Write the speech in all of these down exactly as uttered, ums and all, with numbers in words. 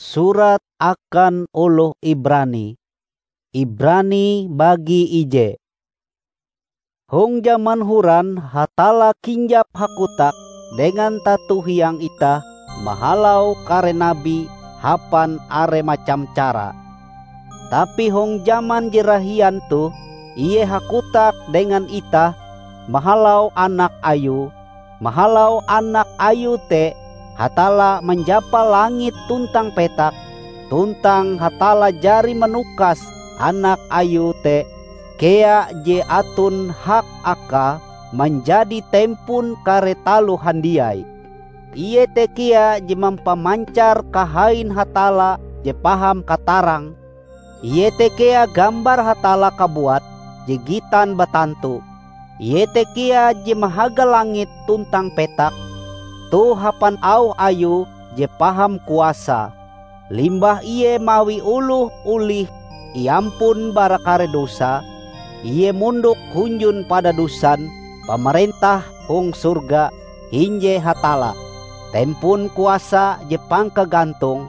Surat akan oloh Ibrani. Ibrani bagi ije. Hong jaman horan Hatalla kinjap hakotak dengan tato hiang itah mahalau kare nabi hapan are macam cara. Tapi hong jaman je rahian toh, Ie hakotak dengan itah mahalau Anak Ayue. Mahalau Anak Ayue te, Hatalla manjapa langit tuntang petak, tuntang Hatalla jari manukas Anak Ayue te kea je aton hak akae manjadi tempon kare taloh handiai. Ie te kea je mampamancar kahain Hatalla je paham katarang, Ie te kea gambar Hatalla kabuat je gitan batantu. Ie te kea je mahaga langit tuntang petak, toh hapan auh Ayue je paham kuasa. Limbah Ie mawi oloh olih iampun bara kare dosa, Ie mondok hunjun padadusan pamarentah hong sorga hinje Hatalla, tempon kuasa je pangkagantong.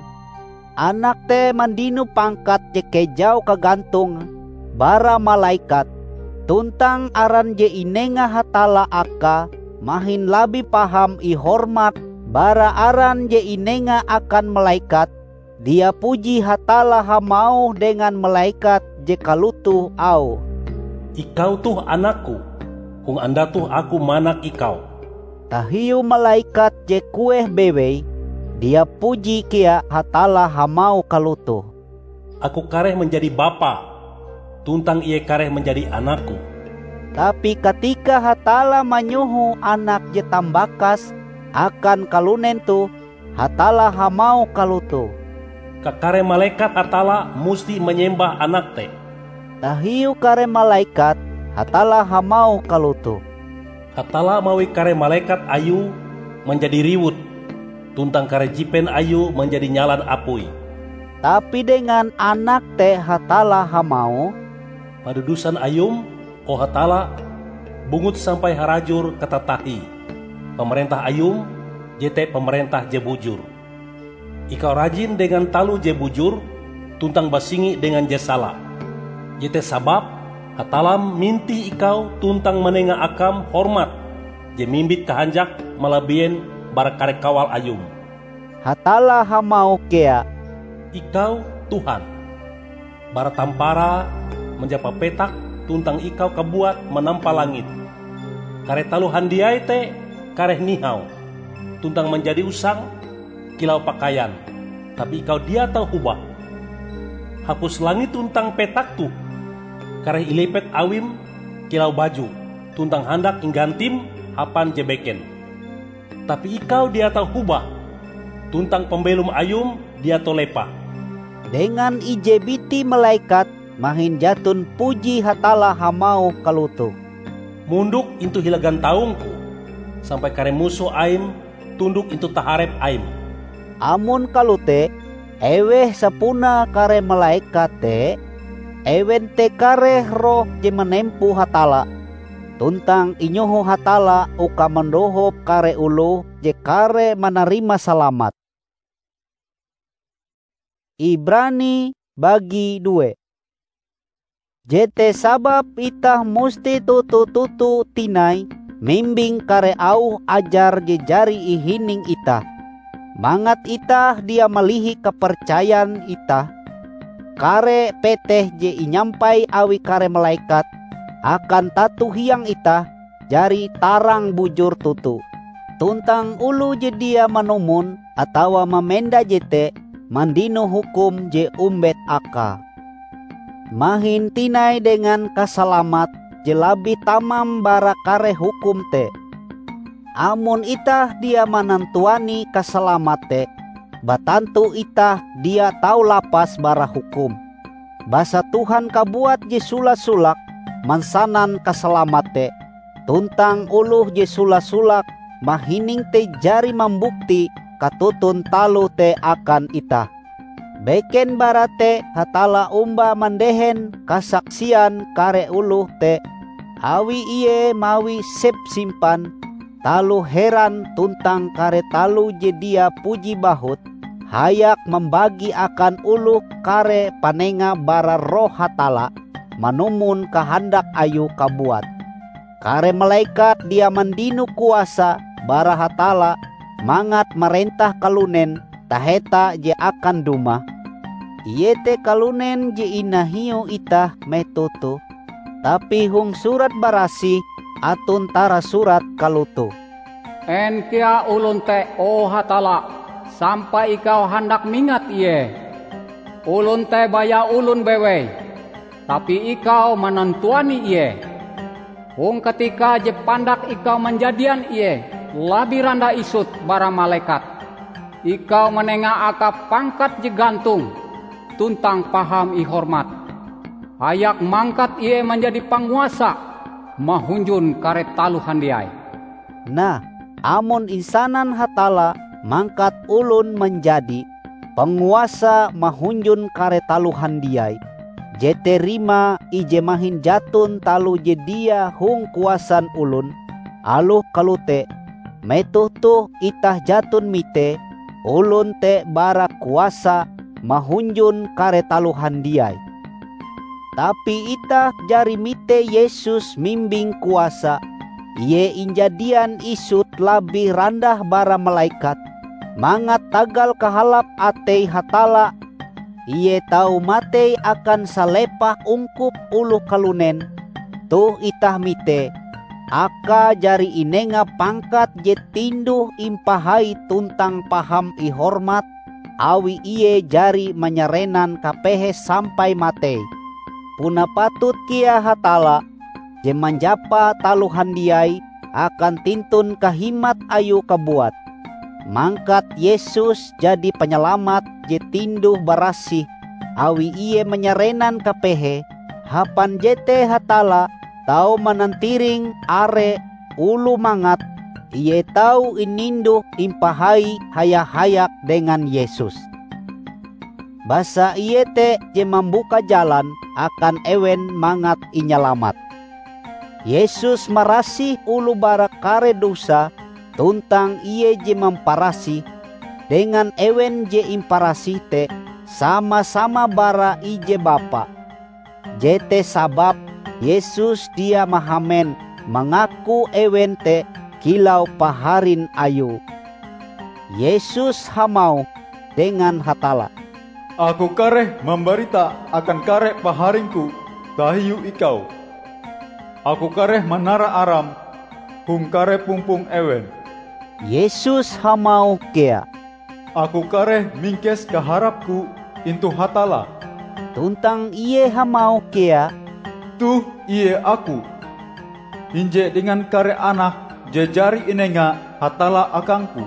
Anak te mandino pangkat je kejau kagantonge bara malaikat, tuntang aran je inenga Hatalla akae mahin labih paham ihormat bara aran je inenga akan malaikat. Dia puji Hatalla hamauh dengan malaikat je kalotoh auhe, "Ikau toh Anak-Ku, hong anda toh Aku manak Ikau." Tahiu malaikat je kueh bewei, dia puji kea Hatalla hamauh kalotoh, "Aku kareh manjadi Bapa, tuntang Ie kareh manjadi Anak-Ku." Tapi katika Hatalla manyoho Anak je tambakas akan kalunen toh, Hatalla hamauh kalotoh, "Kakare malekat Hatalla musti manyembah Anak te." Tahiu kare malekat, Hatalla hamauh kalotoh, "Hatalla mawi kare malekat Ayue manjadi riwut, tuntang kare jipen Ayue manjadi nyalan apui." Tapi dengan Anak te Hatalla hamauh, "Padadusan Ayum, o Hatalla, bungut sampai harajur katatahie. Pamarentah Ayum, jete pamarentah je bujur. Ikau rajin dengan taloh je bujur tuntang basingi dengan je sala. Jete sababe Hatallam mintih ikau tuntang manenga akam hormat je mimbit kahanjak malabien bara kare kawal Ayum." Hatalla hamauh kea, "Ikau Tuhan. Bara tamparae manjapa petak tuntang Ikau kabuat manampa langit. Kare taloh handiai te kareh nihau tuntang manjadi usang kilau pakaian, tapi Ikau dia tau hobah. Hapus langit tuntang petak toh kareh ilipet Awim kilau baju, tuntang handak inggantim hapan je beken. Tapi Ikau dia tau hobah, tuntang pambelom Ayum dia tau lepah." Dengan ije biti malekat mahin jaton puji Hatalla hamauh kalotoh, "Mondok intu hila gantaung-Ku, sampai kare musoh Aim tundok intu taharep Aim." Amon kalote, eweh sapunae kare malekat te? Ewen te kareh roh je manempo Hatalla, tuntang inyoho Hatalla uka mandohop kare oloh je kareh manarima salamat. Ibrani bagi due. Jete sababe itah musti toto-toto tinai mimbing kare auh ajar je jari ihining itah, mangat itah dia malihi kapercayan itah. Kare peteh je inyampai awi kare malekat akan tato hiang itah jari tarang bujur toto, tuntang oloh je dia manumon atawa mamenda jete mandino hukum je ombet akae. Mahin tinai dengan kasalamat je labih tamam bara kare hukum te. Amon itah dia manantuani kasalamat te, batantu itah dia tau lapas bara hukum. Basa Tuhan kabuat je sola-solake mansanan kasalamat te, tuntang oloh je sola-solake mahining te jari mambukti katoton taloh te akan itah. Beken bara te Hatalla omba mandehen kasaksian kare oloh te, awi Ie mawi sepsimpan taloh heran tuntang kare taloh je dia puji bahut hayak mambagi akan oloh kare panenga bara Roh Hatalla manumon kahandak Ayue kabuat. Kare malekat dia mandino kuasa bara Hatalla mangat marentah kalunen taheta je akan dumah, iete kalunen je inahiu itah metoh toh. Tapi hong Surat Barasih aton tarasurat kalotoh, "En kea olon te, o Hatalla, sampai ikau handak mingat ie? Olon te baya olon bewei, tapi ikau manantuani ie. Hong katika je pandak ikau manjadian ie labih randah isut bara malekat, ikau manenga akae pangkat je gantong tuntang paham ihormat, hayak mangkat ie manjadi panguasa mahunjun kare taloh handiai." Nah, amon insanan Hatalla mangkat olon manjadi panguasa mahunjun kare taloh handiai, jete rimae ije mahin jaton taloh je dia hong kuasan olon, aloh kalote, metoh toh itah jaton mite olon te bara kuasa mahunjun kare taloh handiai. Tapi itah jari mite Yesus mimbing kuasa, Ie injadian isut labih randah bara malekat, mangat tagal kahalap atei Hatalla, Ie tau matei akan salepah ungkup oloh kalunen. Toh itah mite, akae jari inenga pangkat je tinduh-impahai tuntang paham ihormat, awi Ie jari manyarenan kapehe sampai matei. Puna patut kea Hatalla, je manjapa taloh handiai akan tintun kahimat Ayue kabuat, mangkat Yesus jadi Panyalamat je tinduh-barasih, awi Ie manyarenan kapehe. Hapan jete Hatalla tau manantiring are oloh mangat Ie tau ininduh-impahai haya-hayak dengan Yesus. Basa Ie te je mambuka jalan akan ewen mangat inyalamat. Yesus marasih oloh bara kare dosa, tuntang Ie je mamparasih. Dengan ewen je imparasih te sama-sama bara ije Bapa. Jete sababe Yesus dia mahamen mangaku ewen te kilau paharin Ayue. Yesus hamauh dengan Hatalla, "Aku kareh mambarita akan kare paharing-Ku tahiu Ikau. Aku kareh manara aram hong kare pumpong ewen." Yesus hamauh kea, "Aku kareh mingkes kaharap-Ku intu Hatalla." Tuntang Ie hamauh kea, "Toh ie Aku. Hinje dengan kare anak je jari inenga Hatalla akang-Ku."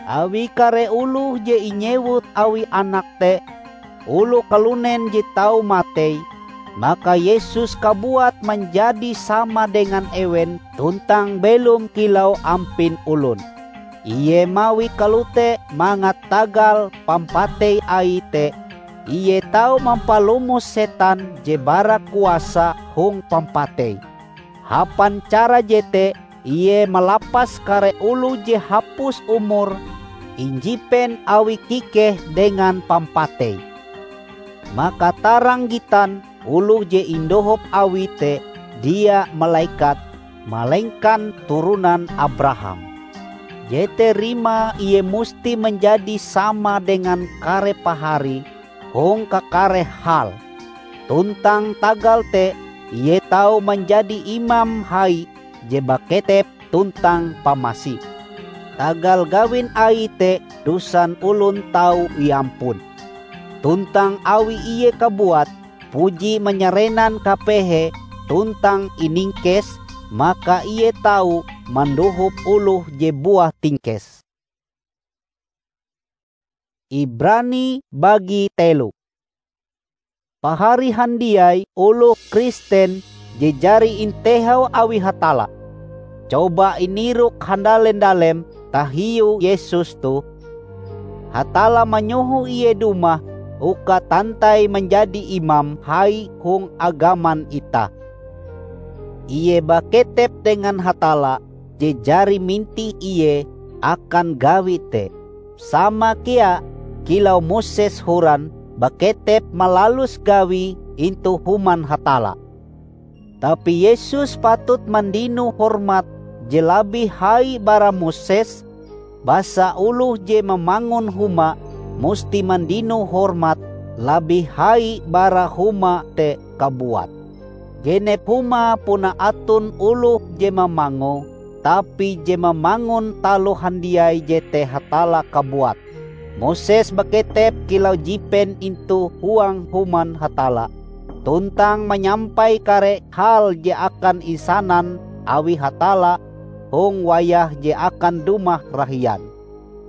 Awi kare oloh je inyewut awi anak te, oloh kalunen je tau matei, maka Yesus kabuat manjadi sama dengan ewen tuntang belom kilau ampin olon. Ie mawie kalote mangat tagal pampatei Aie te, Ie tau mampalomos setan je bara kuasa hong pampatei. Hapan cara jete Ie malapas kare oloh je hapus umure injipen awi kikeh dengan pampatei. Maka tarang gitan oloh je indohop Awie te dia malekat, malengkan turonan Abraham. Jete rimae Ie musti manjadi sama dengan kare paharie hong kakare hal. Tuntang tagal te Ie tau manjadi Imam Hai je baketep tuntang pamasi. Tagal gawin Aie te dosan olon tau iampun. Tuntang awi Ie kabuat puji manyarenan kapehe tuntang iningkes, maka Ie tau mandohop oloh je buah tingkes. Ibrani bagi telo. Pahari handiai oloh Kristen je jari intehau awi Hatalla, coba inirok handalem-dalem tahiu Yesus toh. Hatalla manyoho Ie dumah uka tantai manjadi Imam Hai hong agaman itah. Ie baketep dengan Hatalla je jari mintih Ie akan gawi te. Sama kea, kilau Moses horan, baketep malalus gawie intu Human Hatalla. Tapi Yesus patut mandino hormat je labih hai bara Moses, basa oloh je mamangun huma musti mandino hormat labih hai bara huma te kabuat. Genep huma puna aton oloh je mamangoe, tapi je mamangun taloh handiai jete Hatalla kabuat. Moses baketep kilau jipen intu huang Human Hatalla, tuntang manyampai kare hal je akan isanan awi Hatalla hong wayah je akan dumah rahian.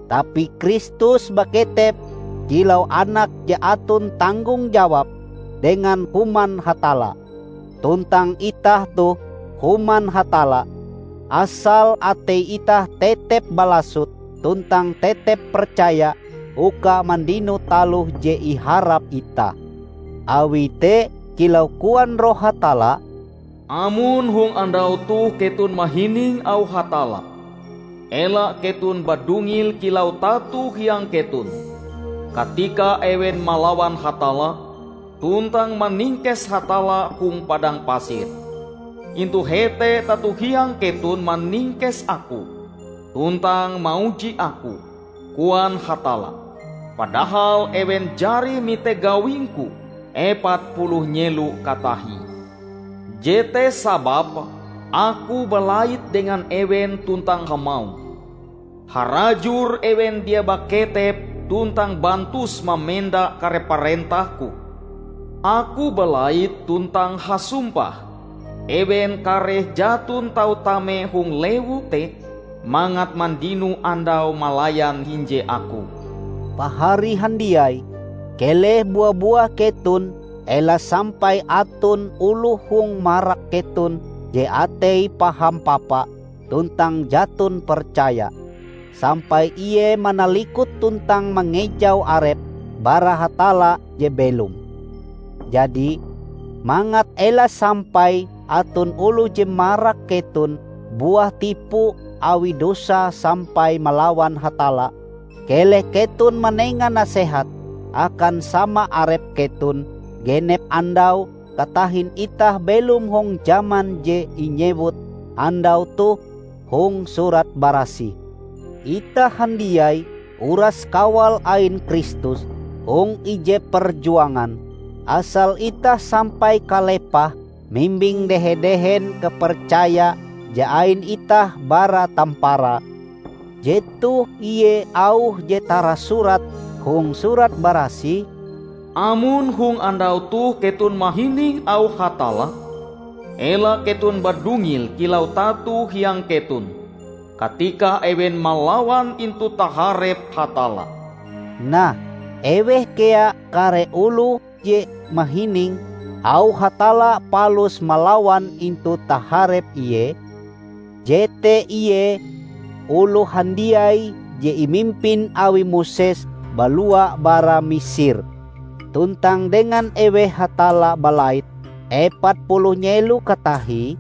Tapi Kristus baketep kilau anak je aton tanggong jawab dengan Human Hatalla. Tuntang itah toh Human Hatalla, asal atei itah tetep balasot tuntang tetep percaya uka mandino taloh je iharap itah. Awi te, kilau koan Roh Hatalla, "Amon hong andau toh keton mahining auh Hatalla, ela keton badungil kilau tato hiang keton, katika ewen malawan Hatalla, tuntang maningkes Hatalla hong padang pasir. Intu hete tato hiang keton maningkes Aku, tuntang mauji Aku," koan Hatalla. Padahal ewen jari mite gawing-Ku epat puluh nyelo katahie. Jete sababe Aku balait dengan ewen tuntang hamauh, "Harajur ewen dia baketep tuntang bantus mamenda kare parentah-Ku. Aku balait tuntang hasumpah, ewen kareh jaton tau tame hong lewu te mangat mandino andau malayan hinje Aku." Pahari handiai, keleh bua-buah keton ela sampai aton oloh hong marak keton je ateie paham papa tuntang jaton percaya, sampai ie manalikot tuntang mangejau arepe bara Hatalla je belom. Jadi, mangat ela sampai aton oloh je marak keton buah tipu awi dosa sampai malawan Hatalla, keleh keton manenga nasehat akan sama arep keton genep andau katahin itah belom hong jaman je inyewut andau toh hong Surat Barasih. Itah handiai uras kawal ain Kristus hong ije perjuangan, asal itah sampai kalepah mimbing dehe-dehen kapercaya je ain itah bara tamparae. Jetoh ie auh je tarasurat hong Surat Barasih, "Amon hong andau toh keton mahining auh Hatalla, ela keton badungil kilau tato hiang keton, katika ewen malawan intu taharep Hatalla." Nah, eweh kea kare oloh je mahining auh Hatalla palus malawan intu taharep Ie? Jete ie oloh handiai je imimpin awi Moses balua bara Misir. Tuntang dengan eweh Hatalla balait epat puluh nyelo katahie,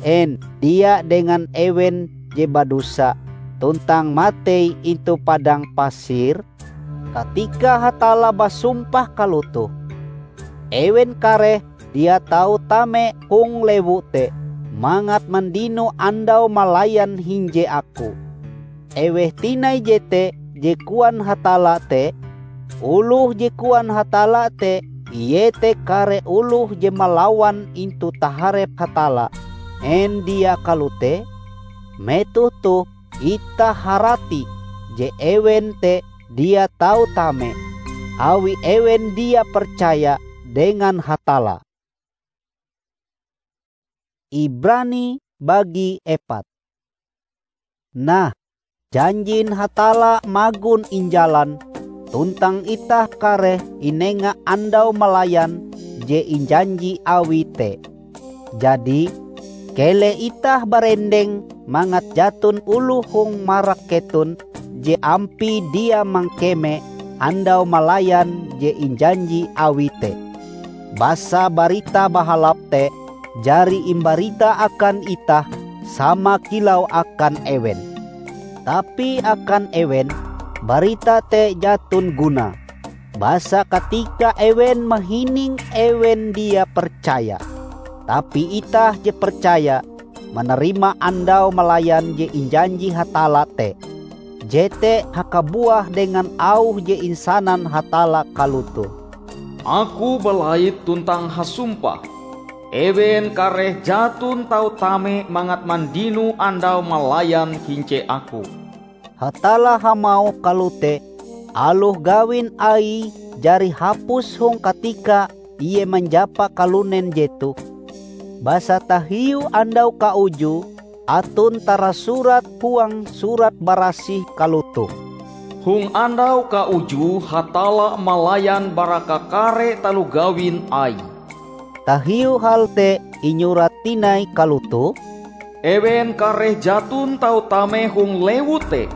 en dia dengan ewen je badosa tuntang matei intu padang pasir? Katika Hatalla basumpah kalotoh, ewen kareh dia tau tame hong lewu te mangat mandino andau malayan hinje Aku. Eweh tinai jete je koan Hatalla te? Oloh je koan Hatalla te iete kare oloh je malawan intu taharep Hatalla. En dia kalote? Metoh toh itah harati je ewen te dia tau tame, awi ewen dia percaya dengan Hatalla. Ibrani bagi epat. Nah, janjin Hatalla magon injalan, tuntang itah kareh inenga andau malayan je injanji Awie te. Jadi, keleh itah barendeng mangat jaton oloh hong marak keton je ampie dia mangkeme andau malayan je injanji Awie te. Basa Barita Bahalap te jari imbarita akan itah sama kilau akan ewen. Tapi akan ewen, barita te jaton gunae, basa katika ewen mahininge ewen dia percaya. Tapi itah je percaya, manarima andau malayan je injanji Hatalla te. Jete hakabuah dengan auh je insanan Hatalla kalotoh, "Aku balait tuntang hasumpah, ewen kareh jaton tau tame mangat mandino andau malayan hinje Aku." Hatalla hamauh kalote, aloh gawin Aie jari hapus hong katika Ie manjapa kalunen jetoh. Basa tahiu andau kaujue aton tarasurat huang Surat Barasih kalotoh, "Hong andau kaujue Hatalla malayan bara kakare taloh gawin Aie." Tahiu hal te inyurat tinai kalotoh, "Ewen kareh jaton tau tame hong lewu te,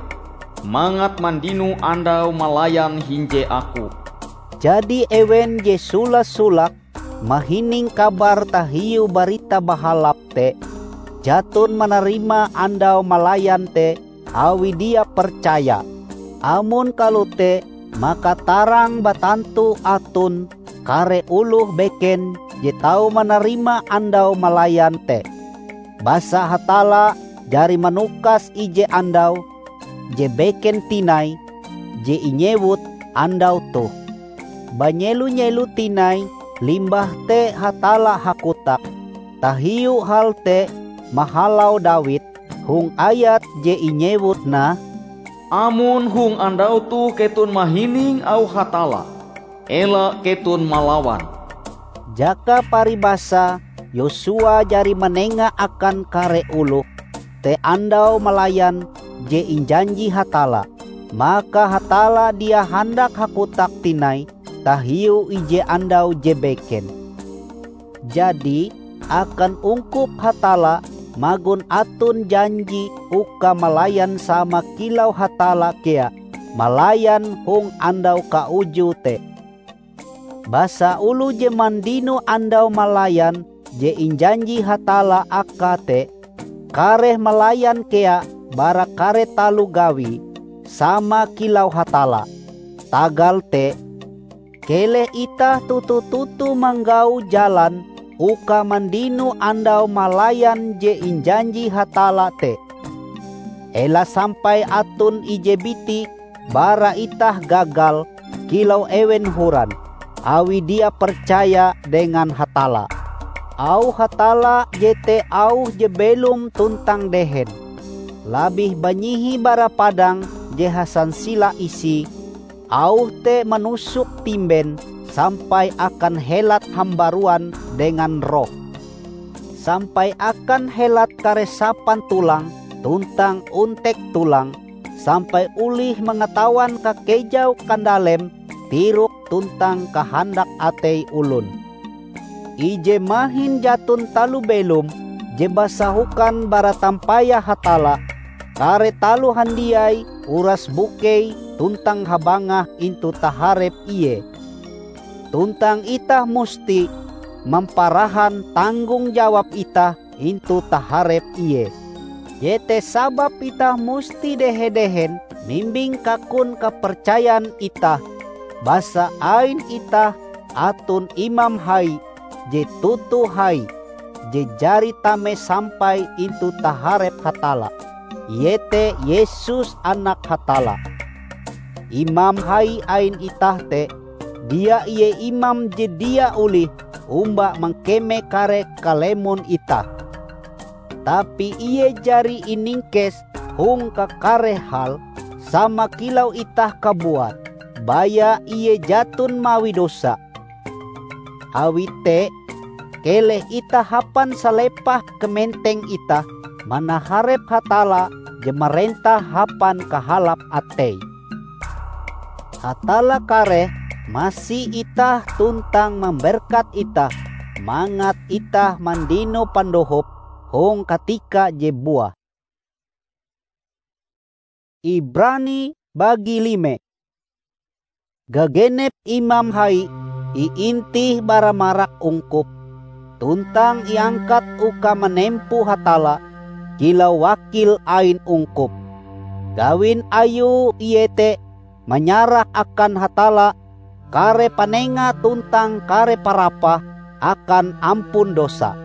mangat mandino andau malayan hinje Aku." Jadi ewen je sola-solake mahining kabar tahiu Barita Bahalap te, jaton manarima andau malayan te awi dia percaya. Amon kalote, maka tarang batantu aton kare oloh beken je tau manarima andau malayan te. Basa Hatalla jari manukas ije andau je beken tinai, je inyewut andau toh. Banyelo-nyelo tinai limbah te Hatalla hakotak. Tahiu hal te mahalau Dawid hong ayat je inyewut nah, "Amon hong andau toh keton mahining auh Hatalla, ela keton malawan." Jaka paribasa, Yosua jari manenga akan kare oloh te andau malayan je injanji Hatalla. Maka Hatalla dia handak hakotak tinai tahiu ije andau je beken. Jadi, akan ungkup Hatalla magon aton janji uka malayan sama kilau Hatalla kea malayan hong andau kaujue te. Basa oloh je mandino andau malayan je injanji Hatalla akae te, kareh malayan kea bara kare taloh gawie, sama kilau Hatalla. Tagal te, keleh itah toto-toto manggau jalan uka mandino andau malayan je injanji Hatalla te. Ela sampai aton ije biti bara itah gagal kilau ewen horan, awi dia percaya dengan Hatalla. Auh Hatalla jete auh je belom tuntang dehen, labih banyihi bara padang je hasansila isie. Auh te manusok timben sampai akan helat hambaruan dengan roh, sampai akan helat kare sapan tulang tuntang ontek tulang, sampai olih mangatawan kakejau kandalem tirok tuntang kahandak atei olon. Ije mahin jaton taloh belom je basahokan bara tampayah Hatalla, kare taloh handiai uras bukei tuntang habangah intu taharep Ie. Tuntang itah musti mamparahan tanggong jawab itah intu taharep Ie. Jete sababe itah musti dehe-dehen mimbing kakun kapercayan itah, basa ain itah aton Imam Hai je toto hai, je jari tame sampai intu taharep Hatalla, iete Yesus Anak Hatalla. Imam Hai ain itah te, dia ie imam je dia olih omba mangkeme kare kalemon itah. Tapi ie jari iningkes hong kakare hal, sama kilau itah kabuat, baya ie jaton mawi dosa. Awi te, keleh itah hapan salepah kamenteng itah manaharep Hatalla je marentah hapan kahalap atei. Hatalla kareh masi itah tuntang mamberkat itah mangat itah mandino pandohop hong katika je buah. Ibrani bagi lime. Gagenep Imam Hai iintih bara marak ungkup, tuntang iangkat uka manempo Hatalla kilau wakil ain ungkup. Gawin Ayue iete manyarah akan Hatalla kare panenga tuntang kare parapah akan ampun dosa.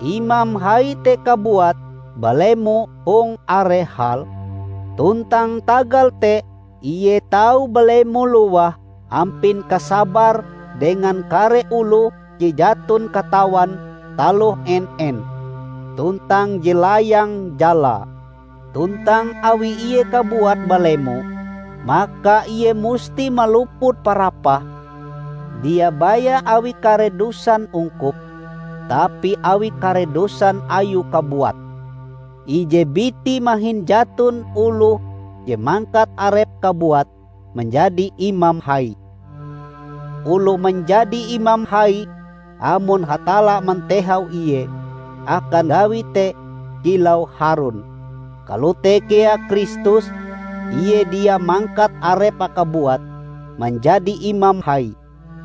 Imam hai te kabuat balemo hong are hal, tuntang tagal te ie tau balemo lowah ampin kasabar dengan kare oloh je jaton katawan taloh en-en, tuntang je layang jalae. Tuntang awi ie kabuat balemo, maka ie musti maluput parapah, dia baya awi kare dusan ungkup, tapi awi kare dusan ayue kabuat. Ije biti mahin jaton oloh je mangkat arepe kabuat manjadi imam hai. Oloh manjadi imam hai amon Hatalla mantehau ie akan gawi te kilau Harun. Kalote kea Kristus, ie dia mangkat arepe kabuat manjadi imam hai.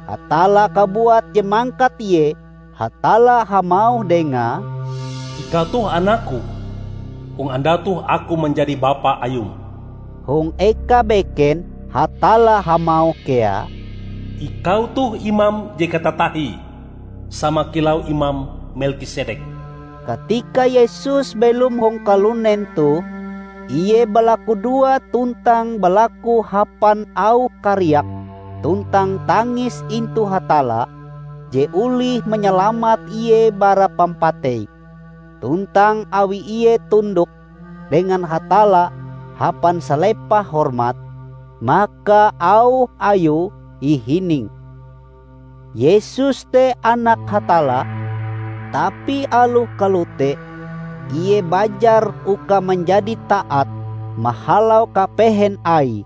Hatalla kabuat je mangkat ie. Hatalla hamauh dengae, "Ikau toh Anak-Ku, hong andau toh Aku manjadi Bapa Ayum." Hong eka beken Hatalla hamauh kea, "Ikau toh Imam je katatahie, sama kilau Imam Melkisedek." Katika Yesus belom hong kalunen toh, ie balakudoa tuntang balaku hapan auh kariak tuntang tangis intu Hatalla, je olih manyalamat ie bara pampatei. Tuntang awi ie tundok dengan Hatalla hapan salepah hormat, maka auh ayue ihining. Yesus te Anak Hatalla, tapi aloh kalote, ie bajar uka manjadi taat mahalau kapehen aie.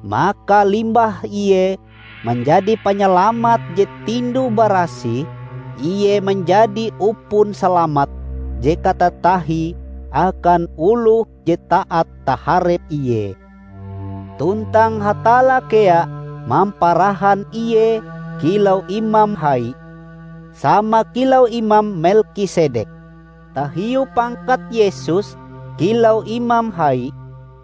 Maka limbah ie manjadi Panyalamat je tinduh-barasih, ie manjadi upon salamat je katatahie akan oloh je taat taharep ie. Tuntang Hatalla kea mamparahan ie kilau Imam Hai, sama kilau Imam Melkisedek. Tahiu pangkat Yesus kilau Imam Hai,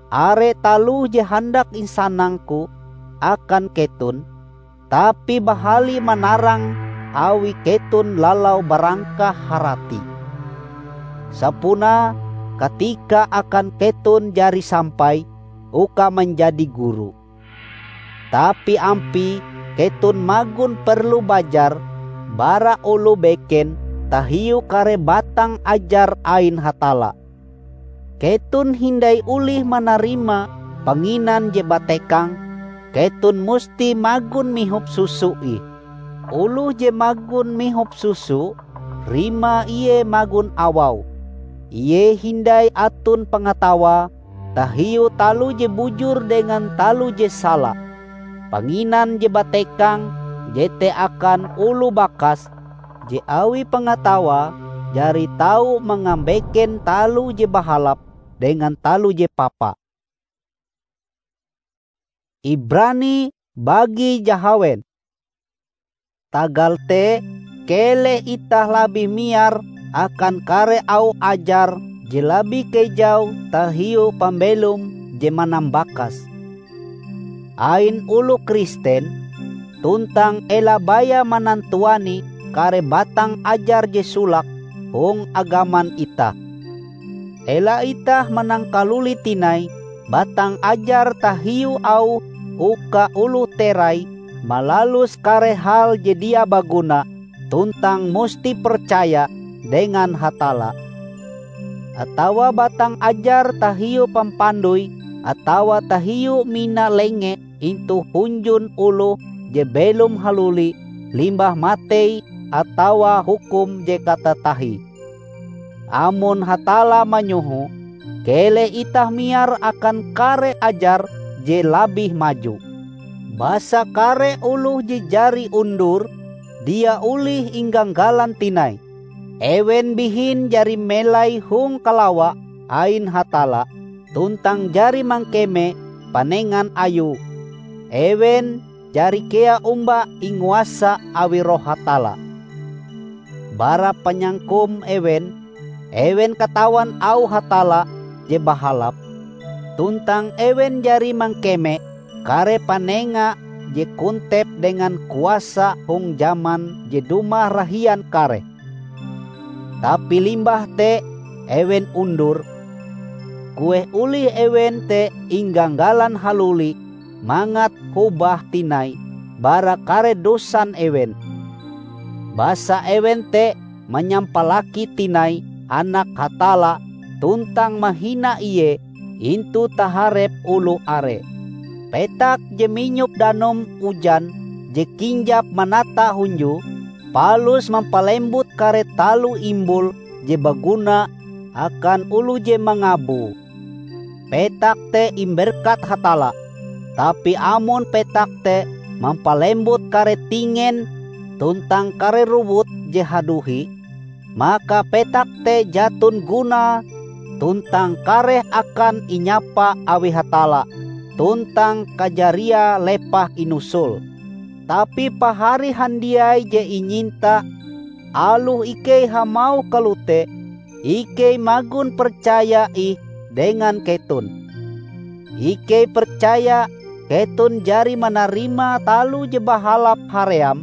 are taloh je handak insanang-Ku akan keton, tapi bahali manarang awi keton lalau barangkah harati. Sapunae katika akan keton jari sampai uka manjadi guru. Tapi ampie keton magon perlu bajar bara oloh beken tahiu kare batang ajar ain Hatalla. Keton hindai olih manarima panginan je batekang, keton musti magon mihop susu ih. Oloh je magon mihop susu, rimae ie magon awau. Ie hindai aton pangatawae tahiu taloh je bujur dengan taloh je sala. Panginan je batekang jete akan oloh bakas je awi pangatawae jari tau mangambeken taloh je bahalap dengan taloh je papa. Ibrani bagi jahawen. Tagal te, keleh itah labih miar akan kare auh ajar je labih kejau tahiu pambelom je manambakas. Ain oloh Kristen, tuntang ela baya manantuani kare batang ajar je solake hong agaman itah. Ela itah manangkalulit tinai batang ajar tahiu auh uka oloh terai malalus kare hal je dia baguna tuntang musti percaya dengan Hatalla, atawa batang ajar tahiu pampandoi atawa tahiu mina lenge intu hunjun oloh je belom haluli limbah matei atawa hukum je katatahie. Amon Hatalla manyoho, keleh itah miar akan kare ajar je labih maju. Basa kare oloh je jari undur dia olih ingganggalan tinai. Ewen bihin jari melai hong kalawa ain Hatalla tuntang jari mangkeme panengan Ayue. Ewen jari kea omba inguasa awi Roh Hatalla. Bara panyangkom ewen, ewen katawan auh Hatalla je bahalap, tuntang ewen jari mangkeme kare panenga je kontep dengan kuasa hong jaman je dumah rahian kareh. Tapi limbah te ewen undur, kueh olih ewen te ingganggalan haluli mangat hobah tinai bara kare dosan ewen. Basa ewen te manyampalaki tinai Anak Hatalla tuntang mahina Ie intu taharep oloh are. Petak je minyop danum ujan je kinjap manata hunjue, palus mampalembut kare taloh imbul je baguna akan oloh je mangabue. Petak te imberkat Hatalla, tapi amon petak te mampalembut kare tingen tuntang kare rowut je haduhi, maka petak te jaton gunae tuntang kareh akan inyapa awi Hatalla tuntang kajariae lepah inusul. Tapi pahari handiai je inyinta, aloh ikei hamauh kalote, ikei magon percaya ih dengan keton. Ikei percaya keton jari manarima taloh je bahalap haream,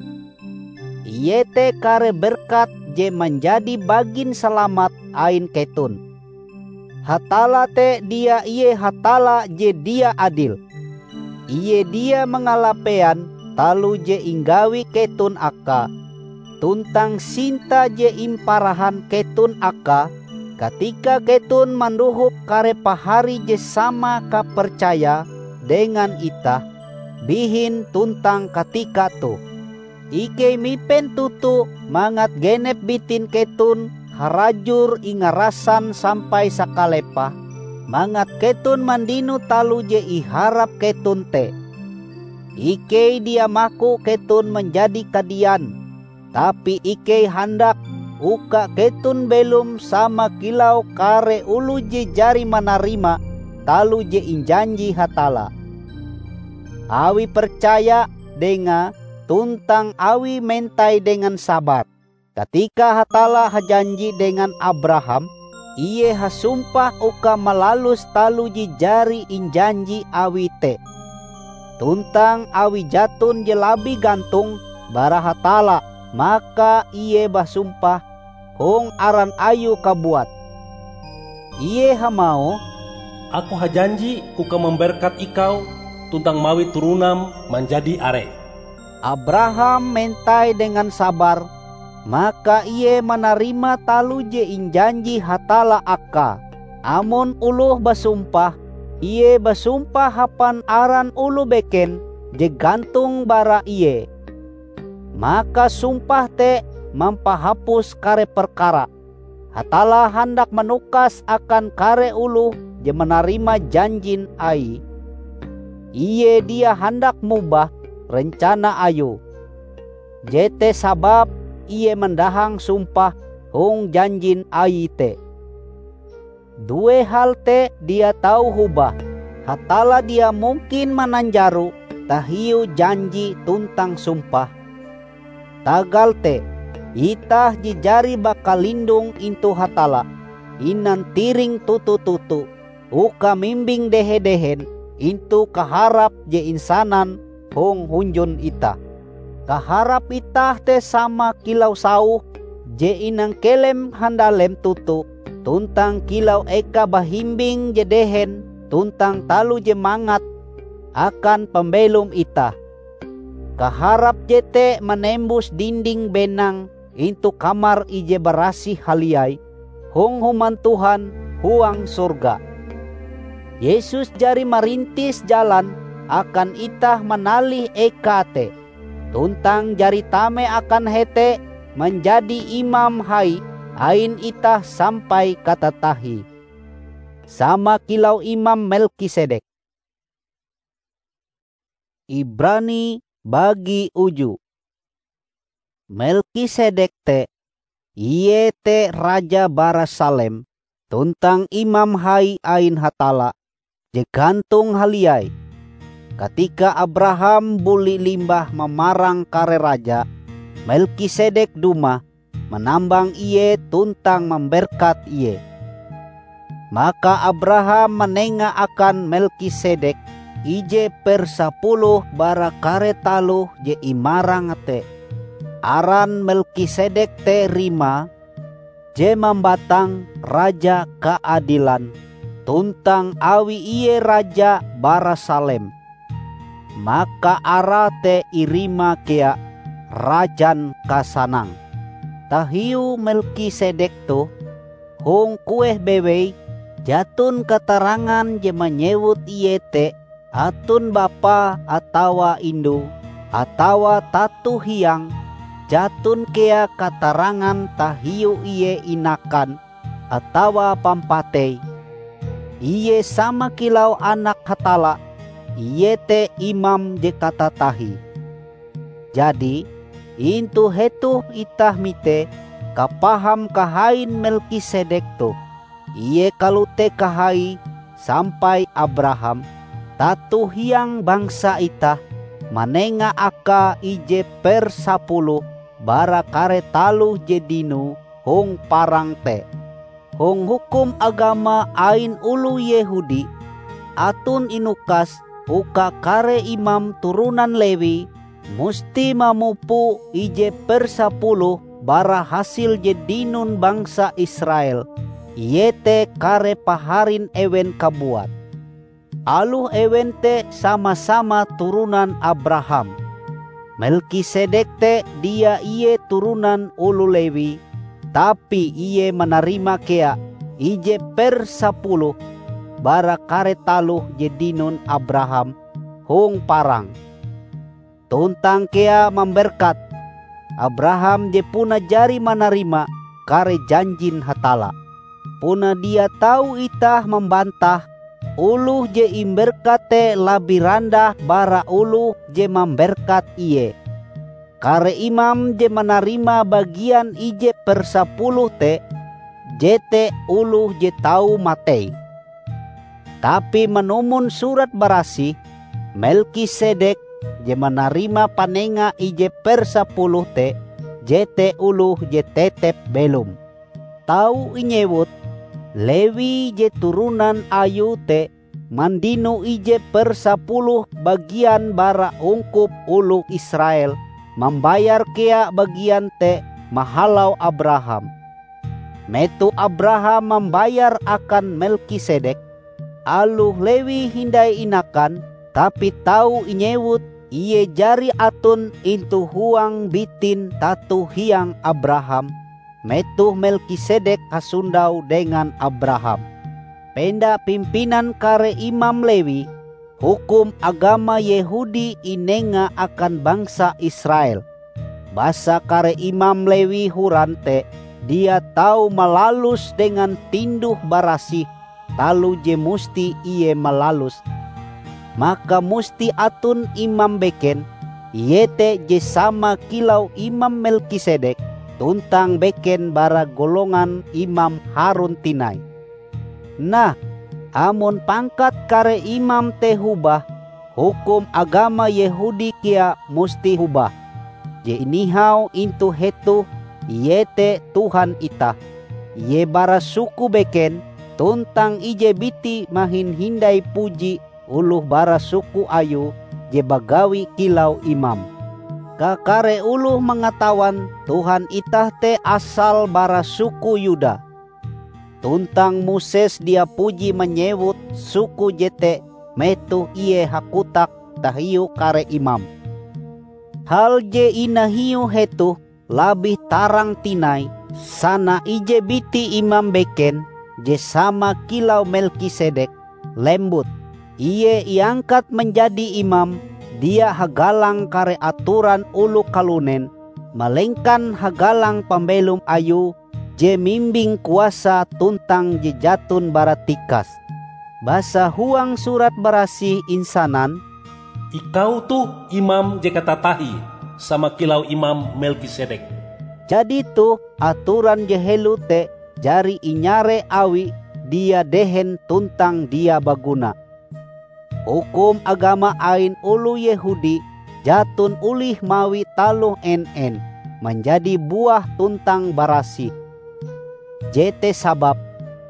iete kare berkat je manjadi bagin salamat ain keton. Hatalla te dia ie Hatalla je dia adil. Ie dia mangalapean taloh je inggawi keton akae, tuntang sinta je imparahan keton akae katika keton mandohop kare pahari je sama kapercayae dengan itah, bihin tuntang katika toh. Ikei mipen toto mangat genep bitin keton harajur ingarasan sampai sakalepah, mangat keton mandino taloh je iharap keton te. Ikei dia maku keton manjadi kadian, tapi ikei handak uka keton belom sama kilau kare oloh je jari manarima taloh je injanji Hatalla. Awi percaya Dengae tuntang awi mentai dengan sabar. Katika Hatalla hajanji dengan Abraham, Ie hasumpah uka malalus taloh je jari injanji Awie te. Tuntang awi jaton je labih gantong bara Hatalla, maka Ie basumpah hong aran Ayue kabuat. Ie hamauh, "Aku hajanji uka mamberkat ikau tuntang mawi turunam manjadi are." Abraham mentai dengan sabar, maka ie manarima taloh je injanji Hatalla akae. Amon oloh basumpah, ie basumpah hapan aran oloh beken je gantong bara ie, maka sumpah te mampahapus kare perkara. Hatalla handak manukas akan kare oloh je manarima janjin Aie. Ie dia handak mobah rencana Ayue. Jete sababe Ie mandahang sumpah hong janjin Aie te. Due hal te dia tau hobah. Hatalla dia mungkin mananjaro tahiu janji tuntang sumpah. Tagal te, itah je jari bakalindong intu Hatalla, inantiring toto-toto uka mimbing dehe-dehen intu kaharap je insanan hong hunjun itah. Kaharap itah te sama kilau sauh je inangkelem handalem toto, tuntang kilau eka bahimbing je dehen tuntang taloh je mangat akan pambelom itah. Kaharap jete manembus dinding benang intu kamar ije barasih haliai hong Human Tuhan huang sorga. Yesus jari marintis jalan akan itah manalih eka te, tuntang jari tame akan hete manjadi imam hai ain itah sampai katatahie, sama kilau Imam Melkisedek. Ibrani bagi uju. Melkisedek te, ie te raja bara Salem tuntang imam hai ain Hatalla je gantong haliai. Katika Abraham buli limbah mamarang kare raja, Melkisedek dumah manambang ie tuntang mamberkat ie. Maka Abraham manenga akan Melkisedek ije persapuluh bara kare taloh je imarange te. Aran Melkisedek te rimae, je mambatang Raja Kaadilan, tuntang awi ie raja bara Salem, maka arae te irimae kea Rajan Kasanang. Tahiu Melkisedek toh, hong kueh bewei, jaton katarangan je manyewut ie te aton bapa atawa indu, atawa tato hiang, jaton kea katarangan tahiu ie inakan atawa pampatei. Ie sama kilau Anak Hatalla, iete Imam je katatahie. Jadi, intu hetoh itah mite kapaham kahain Melkisedek toh. Ie kalote kahaie sampai Abraham, tato hiang bangsa itah, manenga akae ije persapuluh bara kare taloh je dinoe hong parang te. Hong hukum agama ain oloh Yehudi, aton inukas uka kare imam turonan Lewi musti mamupo ije persapuluh bara hasil je dinon bangsa Israel, iete kare paharin ewen kabuat. Aloh ewen te sama-sama turonan Abraham. Melkisedek te dia ie turonan oloh Lewi, tapi ie manarima kea ije persapuluh bara kare taloh je dinon Abraham hong parang. Tuntang kea mamberkat Abraham je puna jari manarima kare janjin Hatalla. Puna dia tau itah mambantah oloh je imberkat te labih randah bara oloh je mamberkat ie. Kare imam je manarima bagian ije persapuluh te, jete oloh je tau matei. Tapi manumon Surat Barasih, Melkisedek je manarima panenga ije persapuluh te, jete oloh je tetep belom. Tau inyewut, Lewi je turonan ayue te mandino ije persapuluh bagian bara ungkup oloh Israel, mambayar kea bagian te mahalau Abraham. Metoh Abraham mambayar akan Melkisedek, aloh Lewi hindai inakan, tapi tau inyewut ie jari aton intu huang bitin tato hiang Abraham, metoh Melkisedek hasondau dengan Abraham. Penda pimpinan kare imam Lewi, hukum agama Yehudi inenga akan bangsa Israel. Basa kare imam Lewi horan te dia tau malalus dengan tinduh-barasih taloh je musti ie malaluse, maka musti aton imam beken, iete je sama kilau Imam Melkisedek, tuntang beken bara golongan Imam Harun tinai. Nah, amon pangkat kare imam te hobah, hukum agama Yehudi kea musti hobah. Je inihau intu hetoh iete Tuhan itah. Ie bara suku beken, tuntang ije biti mahin hindai puji oloh bara suku ayue je bagawi kilau imam. Kakare oloh mangatawan Tuhan itah te asale bara suku Yuda. Tuntang Moses dia puji manyewut suku jete metoh ie hakotak tahiu kare imam. Hal je inahiue hetoh labih tarang tinai, sana ije biti imam beken je sama kilau Melkisedek, lembut. Ie iangkat manjadi imam dia hagalang kare atoran oloh kalunen, malengkan hagalang pambelom ayue je mimbing kuasa tuntang je jaton bara tikas. Basa huang Surat Barasih insanan, "Ikau toh imam je katatahie sama kilau Imam Melkisedek." Jadi toh atoran je helo te jari inyare awi dia dehen tuntang dia baguna. Hukum agama ain oloh Yehudi jaton olih mawi taloh en-en manjadi buah tuntang barasih. Jete sababe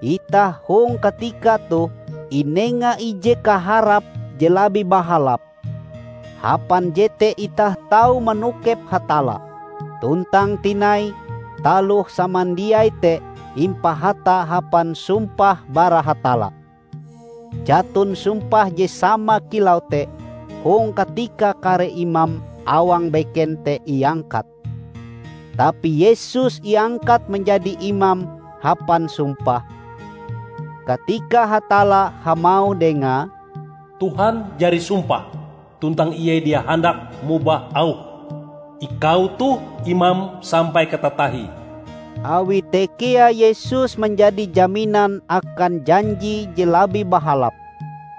itah hong katika toh inenga ije kaharap je labih bahalap. Hapan jete itah tau manokep Hatalla. Tuntang tinai, taloh samandiai te impahata hapan sumpah bara Hatalla. Jaton sumpah je sama kilau te hong katika kare imam awang beken te iangkat. Tapi Yesus iangkat manjadi imam hapan sumpah, katika Hatalla hamauh dengae, "Tuhan jari sumpah, tuntang Ie dia handak mobah auhe, 'Ikau toh imam sampai katatahie.'" Awi te kea Yesus manjadi jaminan akan janji je labih bahalap.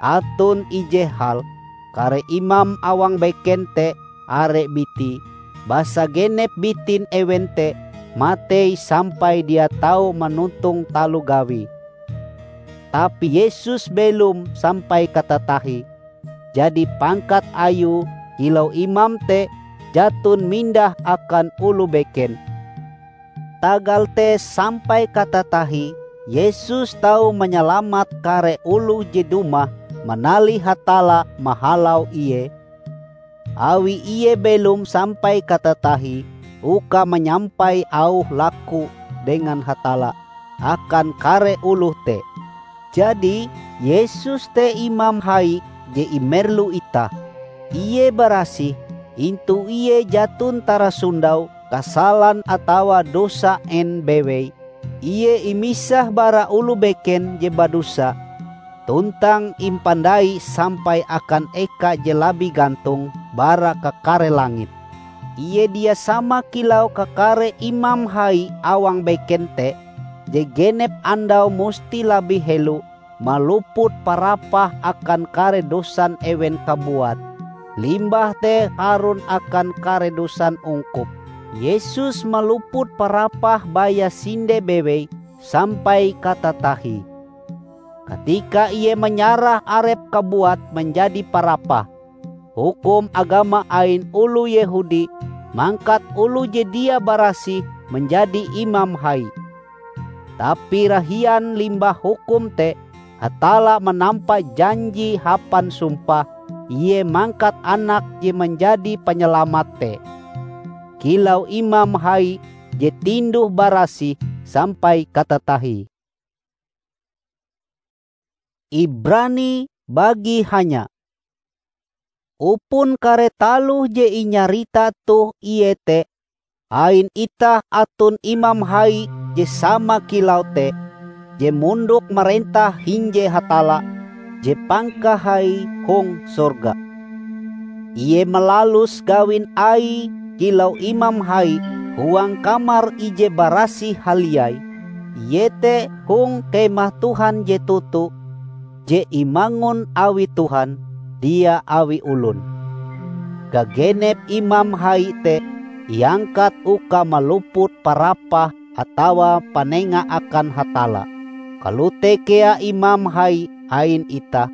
Aton ije hal, kare imam awang beken te are biti, basa genep bitin ewen te matei sampai dia tau manontong taloh gawie. Tapi Yesus belom sampai katatahie, jadi pangkat Ayue kilau imam te jaton mindah akan oloh beken. Tagal te sampai katatahie Yesus tau manyalamat kare oloh je dumah manalih Hatalla mahalau Ie, awi Ie belom sampai katatahie uka manyampai auh laku dengan Hatalla akan kare oloh te. Jadi, Yesus te Imam Hai je imerlu itah. Ie barasih, intu Ie jaton tarasondau kasalan atawa dosa en bewei. Ie imisah bara oloh beken je badosa, tuntang impandai sampai akan eka je labih gantong bara kakare langit. Ie dia sama kilau kakare imam hai awang beken te, je genep andau musti labih helo maluput parapah akan kare dosan ewen kabuat, limbah te harun akan kare dosan ungkup. Yesus maluput parapah baya sinde bewei sampai katatahie. Katika Ie manyarah Arepe kabuat manjadi parapah, hukum agama ain oloh Yehudi mangkat oloh je dia barasih manjadi imam hai. Tapi rahian limbah hukum te, Hatalla manampa janji hapan sumpah Ie mangkat Anak je manjadi Panyalamat te, kilau Imam Hai je tinduh-barasih sampai katatahie. Ibrani bagi hanya. Upon kare taloh je inyarita toh iete, ain itah aton Imam Hai je sama kilau te, je mondok marentah hinje Hatalla je pangkahai hong sorga. Ie malalus gawin Aie kilau Imam Hai huang kamar ije barasih haliai, iete hong kemah Tuhan je toto, je imangun awi Tuhan, dia awi olon. Gagenep Imam Hai te iangkat uka maluput parapah atawa panenga akan Hatalla. Kalote kea Imam Hai ain itah,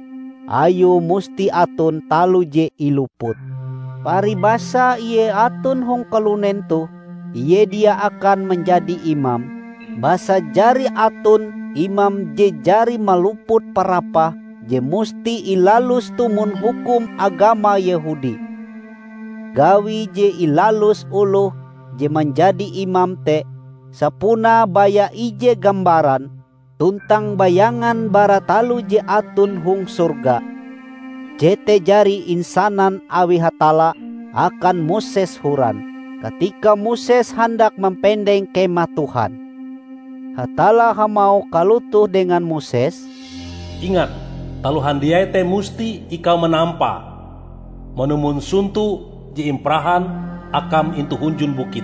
ayue musti aton taloh je iluput. Paribasa ie aton hong kalunen toh, ie dia akan manjadi imam, basa jari aton imam je jari maluput parapah je musti ilalus tumon hukum agama Yehudi. Gawi je ilalus oloh je manjadi imam te sapunae baya ije gambaran tuntang bayangan bara taloh je aton hong sorga. Jete jari insanan awi Hatalla akan Moses horan, katika Moses handak mampendeng Kemah Tuhan. Hatalla hamauh kalotoh dengan Moses, "Ingat, taloh handiai te musti ikau manampa manumon sonto je imparahan akam intu hunjun bukit."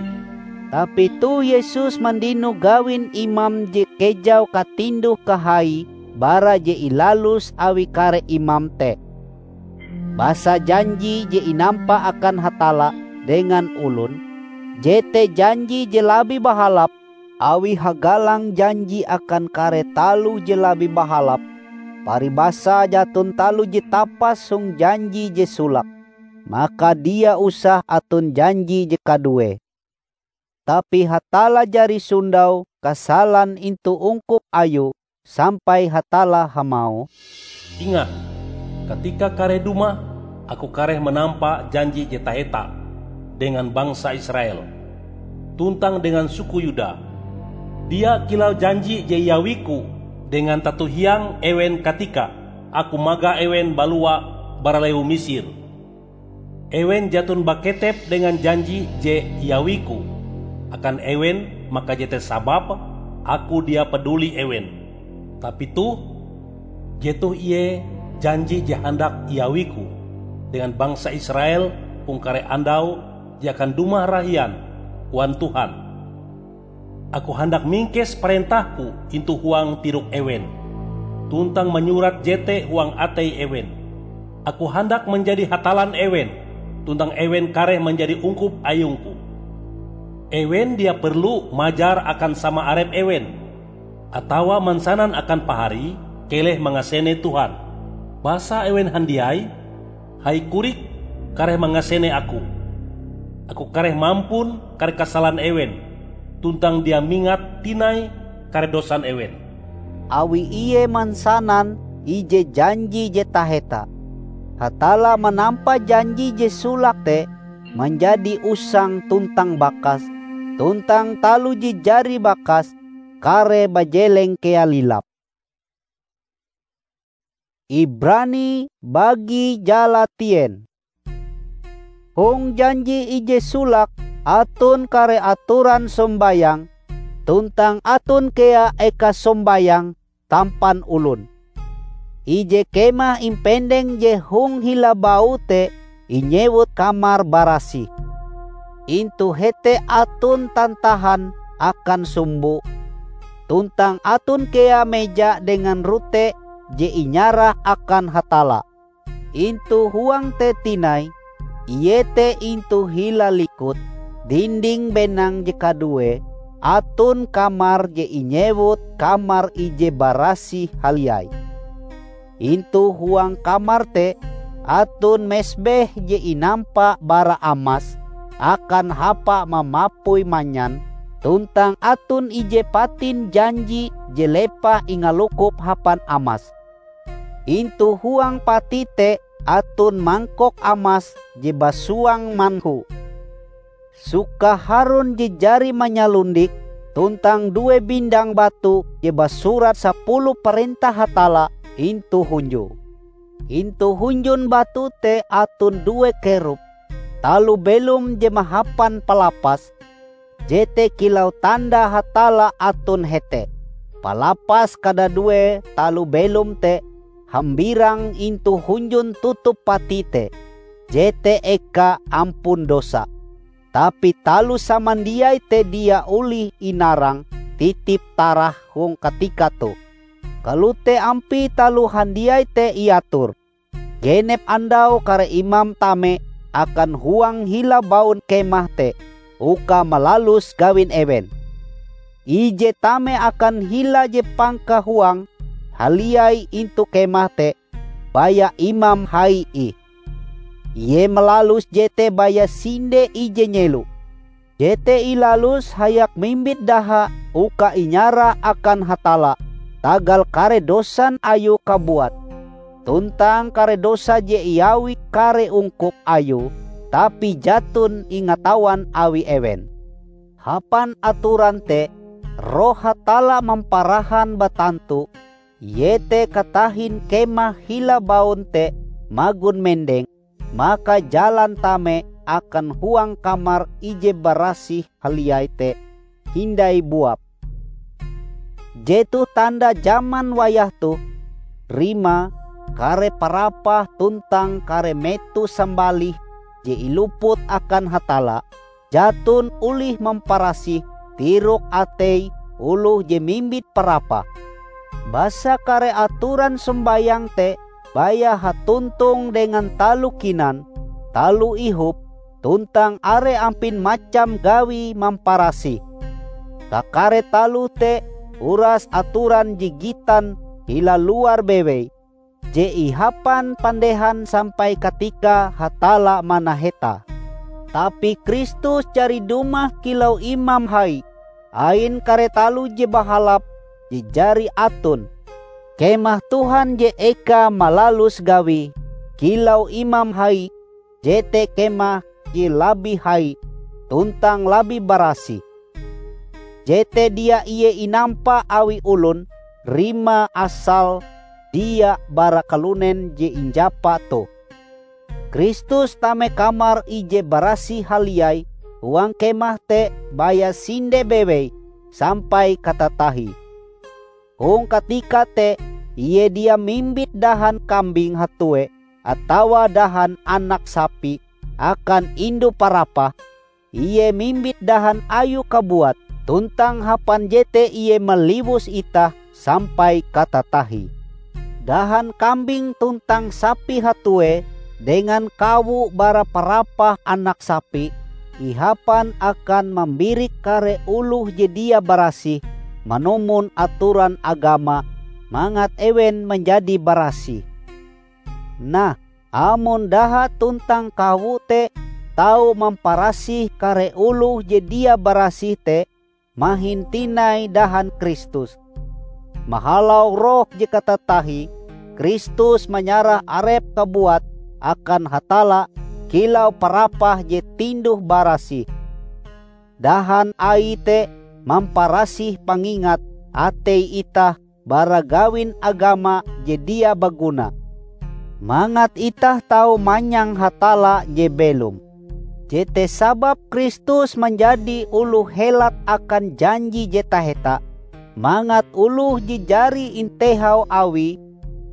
Tapi toh Yesus mandino gawin imam je kejau katinduh-kahai bara je ilalus awi kare imam te. Basa janji je inampa akan Hatalla dengan olon, jete janji je labih bahalap awi hagalang janji akan kare taloh je labih bahalap, paribasa jaton taloh je tapas hong janji je solake, maka dia usah aton janji je kaduee. Tapi Hatalla jari sondau kasalan intu ungkup Ayue sampai Hatalla hamauh, "Ingat, katika kareh dumah, Aku kareh manampa janji je taheta dengan bangsa Israel, tuntang dengan suku Yuda. Dia kilau janji je iawi-Ku dengan tato hiang ewen katika Aku magah ewen balua bara lewu Misir. Ewen jaton baketep dengan janji je iawi-Ku akan ewen, maka jete sababe Aku dia paduli ewen. Tapi toh, jetoh ie janji je handak iawi-Ku dengan bangsa Israel hong kare andau je akan dumah rahian," koan Tuhan. "Aku handak mingkes parentah-Ku intu huang tirok ewen, tuntang manyurat jete huang atei ewen. Aku handak manjadi Hatallan ewen, tuntang ewen kareh manjadi ungkup ayung-Ku. Ewen dia perlu majar akan sama arep ewen, atawa mansanan akan paharie keleh mangasene Tuhan. Basa ewen handiai, hai korik, kareh mangasene Aku. Aku kareh mampun kare kasalan ewen, tuntang dia mingat tinai kare dosan ewen." Awi ie mansanan ije janji je taheta, Hatalla manampa janji je solake te manjadi usang tuntang bakas, tuntang taloh je jari bakas kareh bajeleng kea lilap. Ibrani bagi jalatien. Hong janji ije solake aton kare atoran sombayang, tuntang aton kea eka sombayang tampan olon. Ije kemah impendeng je hong hila baue te inyewut Kamar Barasih. Intu hete aton tantahan akan sumbo, tuntang aton kea meja dengan rote je inyarah akan Hatalla. Intu huang te tinai, iete intu hila likut, dinding benang je kaduee, aton kamar je inyewut Kamar Ije Barasih Haliai. Intu huang kamar te aton mesbeh je inampa bara amas akan hapa mamapui manyan, tuntang aton ije patin janji je lepah ingalukup hapan amas. Intu huang pati te aton mangkok amas je basuang manhu. Suka Harun je jari manyalondik, tuntang due bindang batu je basurat sapuluh parentah Hatalla intu hunjue. Intu hunjun batu te aton due kerup, taloh belom je mahapan palapas, jete kilau tanda Hatalla aton hete. Palapas kadadue taloh belom te hambirang intu hunjun tutup pati te, jete eka ampun dosa. Tapi taloh samandiai te dia olih inarang titip tarah hong katika toh. Kalote ampie taloh handiai te iator. Genep andau kare imam tame akan huang hila baun kemah te uka malalus gawin ewen. Ije tame akan hila je pangkahuang haliai intu kemah te baya imam hai ih. Ie malalus jete baya sinde ije nyelo. Jete ilalus hayak mimbit daha uka inyarah akan Hatalla tagal kare dosan ayue kabuat, tuntang kare dosa je iawi kare ungkup ayue, tapi jaton ingatawan awi ewen. Hapan atoran te, Roh Hatalla mamparahan batantu, iete katahin kemah hila baun te magon mendeng, maka jalan tame akan huang Kamar Ije Barasih Haliai te hindai buap. Jetoh tanda jaman wayah toh, rimae kare parapah tuntang kare meto sambalih je iluput akan Hatalla, jaton olih mamparasih tirok atei oloh je mimbit parapah. Basa kare atoran sombayang te baya hatontong dengan taloh kinan, taloh ihop, tuntang are ampin macam gawi mamparasih. Kakare taloh te uras atoran je gitan hila luar bewei, je ihapan pandehan sampai katika Hatalla manaheta. Tapi Kristus jari dumah kilau Imam Hai ain kare taloh je bahalap je jari aton, Kemah Tuhan je eka malalus gawie kilau imam hai, jete kemah je labih hai tuntang labih barasih. Jete dia ie inampa awi olon rimae asal dia bara kalunen je injapa toh. Kristus tame Kamar Ije Barasih Haliai huang kemah te baya sinde bewei sampai katatahie. Hong katika te, ie dia mimbit dahan kambing hatue atawa dahan anak sapi akan indu parapah, ie mimbit dahan ayue kabuat, tuntang hapan jete ie maliwus itah sampai katatahie. Dahan kambing tuntang sapi hatue dengan kawo bara parapah anak sapi ihapan akan mambirik kare oloh je dia barasih manumon atoran agama mangat ewen manjadi barasih. Nah, amon daha tuntang kawo te tau mamparasih kare oloh je dia barasih te mahin tinai dahan Kristus. Mahalau Roh je katatahie, Kristus manyarah Arepe kabuat akan Hatalla kilau parapah je tinduh-barasih. Dahan Aie te mamparasih pangingat atei itah bara gawin agama je dia baguna, mangat itah tau manyang Hatalla je belom. Jete sababe Kristus manjadi oloh helat akan janji je taheta, mangat oloh je jari intehau Awie,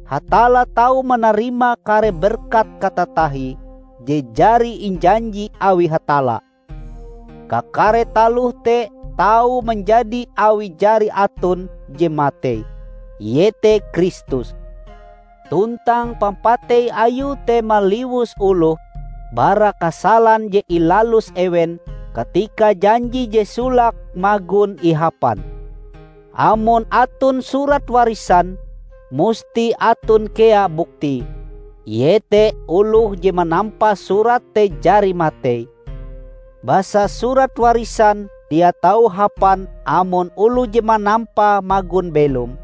Hatalla tau manarima kare berkat katatahie je jari injanji awi Hatalla. Kakare taloh te tau manjadi awi jari aton je matei, iete Kristus. Tuntang pampatei Ayue te maliwus oloh bara kasalan je ilalus ewen katika janji je solake magon ihapan. Amon aton surat warisan, musti aton kea buktie, iete oloh je manampa surat te jari matei. Basa surat warisan dia tau hapan amon oloh je manampae magon belom.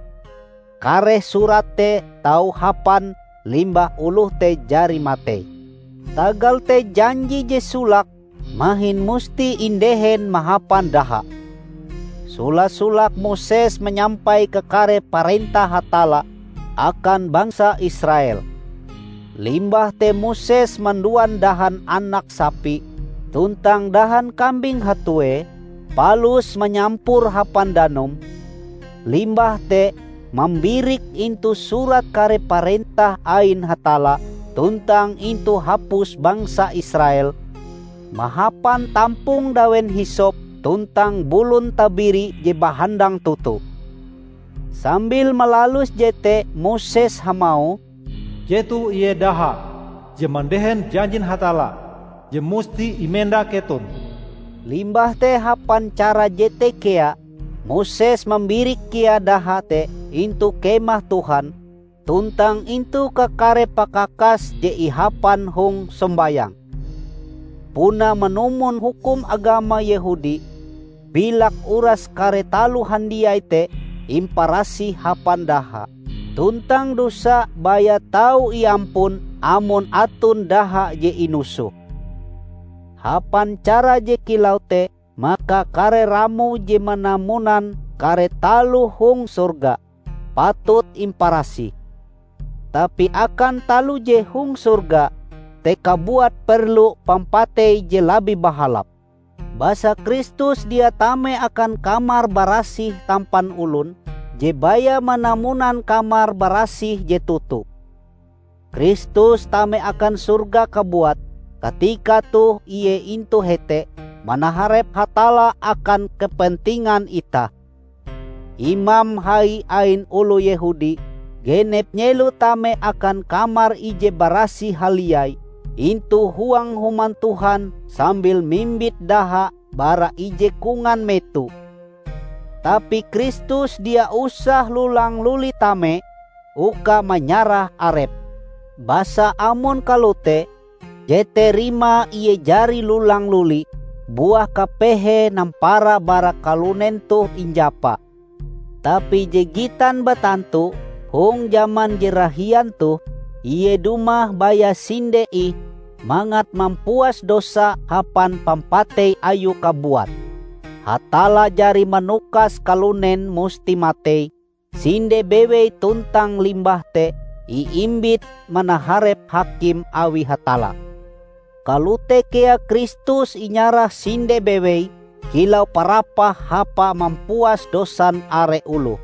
Kareh surat te tau hapan limbah oloh te jari matei. Tagal te janji je solake mahin musti indehen mahapan daha. Sola-solake Moses manyampai kakare parentah Hatalla akan bangsa Israel. Limbah te Moses manduan dahan anak sapi tuntang dahan kambing hatue, palus manyampor hapan danum, limbah te mambirik intu surat kare parentah ain Hatalla tuntang intu hapus bangsa Israel, mahapan tampong dawen hisop tuntang bulon tabiri je bahandang toto. Sambil malalus jete Moses hamauh, "Jetoh ie daha je mandehen janjin Hatalla je musti imenda keton." Limbah te hapan cara jete kea, Moses mambirik kea daha te intu Kemah Tuhan tuntang intu kakare pakakas je ihapan hong sombayang. Puna manumon hukum agama Yehudi, bilak uras kare taloh handiai te imparasih hapan daha. Tuntang dosa baya tau iampun amon aton daha je inusoh. Hapan cara je kilau te, maka kare ramo je manamunan kare taloh hong sorga patut imparasih. Tapi akan taloh je hong sorga te kabuat perlu pampatei je labih bahalap. Basa Kristus dia tame akan kamar barasih tampan olon je baya manamunan kamar barasih je toto. Kristus tame akan sorga kabuat katika toh Ie intu hete manaharep Hatalla akan kepentingan itah. Imam hai ain oloh Yehudi genep nyelo tame akan Kamar Ije Barasih Haliai intu huang Human Tuhan sambil mimbit daha bara ije kongan meto. Tapi Kristus dia usah lulang-luli tame uka manyarah Arepe. Basa amon kalote, jete rimae Ie jari lulang-luli buah kapehe nampara bara kalunen toh injapa. Tapi je gitan batantu, Hong jaman je rahian toh, Ie dumah baya sinde ih mangat mampuas dosa hapan pampatei Ayue kabuat. Hatalla jari manukas kalunen musti matei sinde bewei tuntang limbah te iimbit manaharep hakim awi Hatalla. Kalote kea Kristus inyarah sinde bewei kilau parapah hapa mampuas dosan are oloh.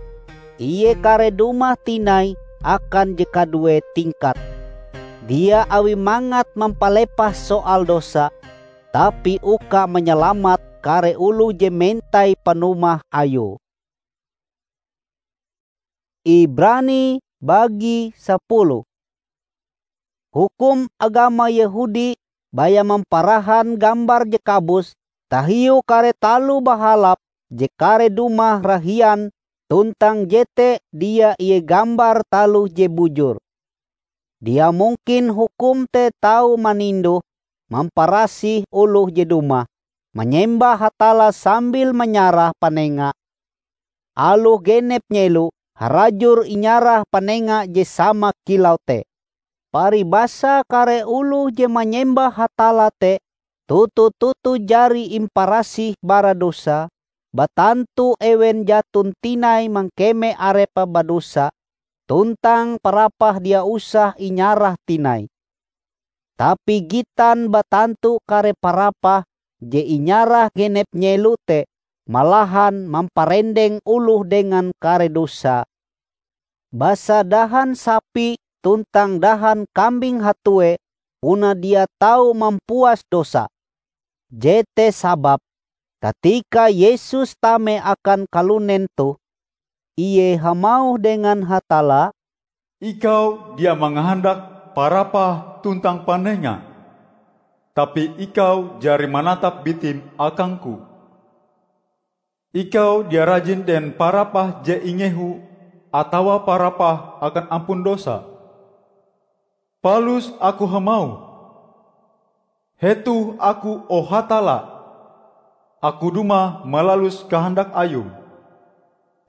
Ie kareh dumah tinai akan je kaduee tingkat, dia awi mangat mampalepah soal dosa, tapi uka manyalamat kare oloh je mentai panumah Ayue. Ibrani bagi sapuluh. Hukum agama Yehudi baya mamparahan gambar je kabus tahiu kare taloh bahalap je kareh dumah rahian, tuntang jete dia ie gambar taloh je bujur. Dia mungkin hukum te tau maninduh mamparasih oloh je dumah manyembah Hatalla sambil manyarah panenga. Aloh genep nyelo harajur inyarah panenga je sama kilau te. Paribasa kare oloh je manyembah Hatalla te toto-toto jari imparasih bara dosa, batantu ewen jaton tinai mangkeme arepe badosa, tuntang parapah dia usah inyarah tinai. Tapi gitan batantu kare parapah je inyarah genep nyelo te malahan mamparendeng oloh dengan kare dosa. Basa dahan sapi tuntang dahan kambing hatue puna dia tau mampuas dosa. Jete sababe, katika Yesus tame akan kalunen toh, Ie hamauh dengan Hatalla, "Ikau dia mangahandak parapah tuntang panenga, tapi Ikau jari manatap bitim akang-Ku. Ikau dia rajin dengan parapah je ingehu atawa parapah akan ampun dosa. Palus Aku hamauh, hetoh Aku, o Hatalla! Aku dumah malalus kahandak Ayum,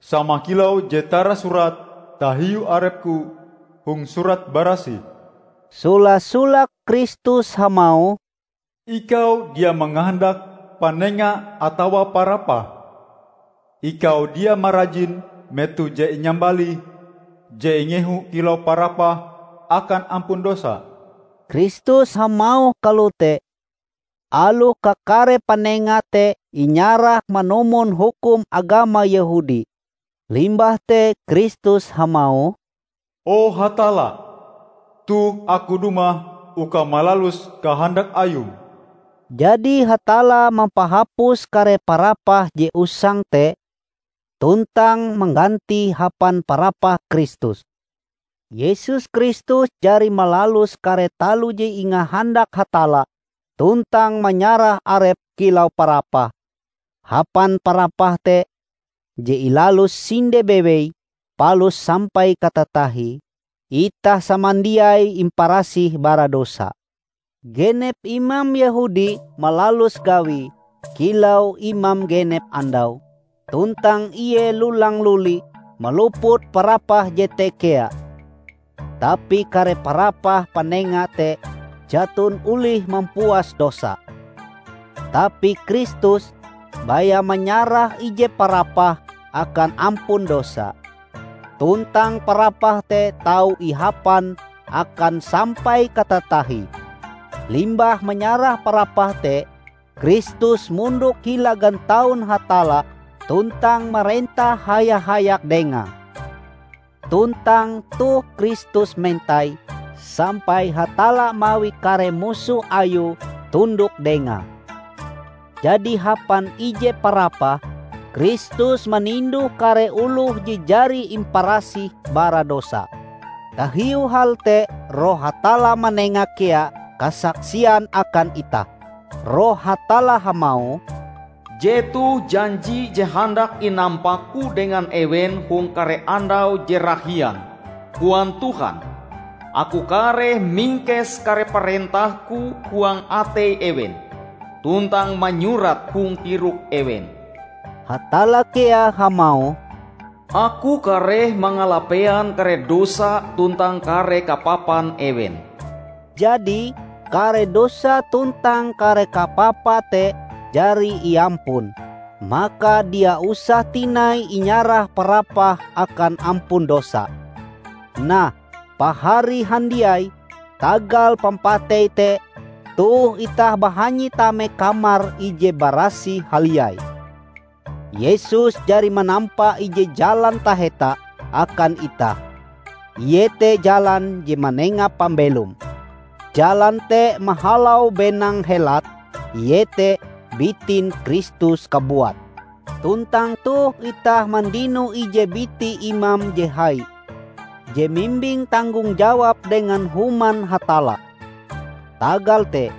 sama kilau je tarasurat tahiu arep-Ku hong Surat Barasih." Sola-solake Kristus hamauh, "Ikau dia mangahandak panenga atawa parapah. Ikau dia marajin metoh je inyambalih je ingehu kilau parapah akan ampun dosa." Kristus hamauh kalote, aloh kakare panenga te inyarah manumon hukum agama Yehudi. Limbah te Kristus hamauh, "O Hatalla, toh Aku dumah uka malalus kahandak Ayum." Jadi Hatalla mampahapus kare parapah je usang te, tuntang manggantie hapan parapah Kristus. Yesus Kristus jari malalus kare taloh je ingahandak Hatalla tuntang manyarah Arepe kilau parapah. Hapan parapah te je ilalus sinde bewei palus sampai katatahie, itah samandiai imparasih bara dosa. Genep imam Yehudi malalus gawie kilau imam genep andau, tuntang ie lulang-luli maluput parapah jete kea. Tapi kare parapah panenga te jaton olih mampuas dosa. Tapi Kristus baya manyarah ije parapah akan ampun dosa. Tuntang parapah te tau ihapan akan sampai katatahie. Limbah manyarah parapah te, Kristus mondok hila gantaun Hatalla tuntang marentah haya-hayak Dengae. Tuntang toh Kristus mentai sampai Hatalla mawi kare musoh Ayue tundok Dengae. Jadi hapan ije parapah, Kristus maninduh kare oloh je jari imparasih bara dosa. Tahiu hal te, Roh Hatalla manenga kea kasaksian akan itah. Roh Hatalla hamauh, "Jetoh janji je handak inampak-Ku dengan ewen hong kare andau je rahian, koan Tuhan. Aku kareh mingkes kare parentah-Ku huang atei ewen, tuntang manyurat hong tirok ewen." Hatalla kea hamauh, "Aku kareh mangalapean kare dosa tuntang kare kapapan ewen." Jadi, kare dosa tuntang kare kapapa te jari iampun, maka dia usah tinai inyarah parapah akan ampun dosa. Nah, pahari handiai, tagal pampatei te, toh itah bahanyi tame Kamar Ije Barasih Haliai. Yesus jari manampa ije jalan taheta akan itah, iete jalan je manenga pambelom. Jalan te mahalau benang helat, iete bitin Kristus kabuat. Tuntang toh itah mandino ije biti imam je hai, je mimbing tanggong jawab dengan Human Hatalla. Tagal te,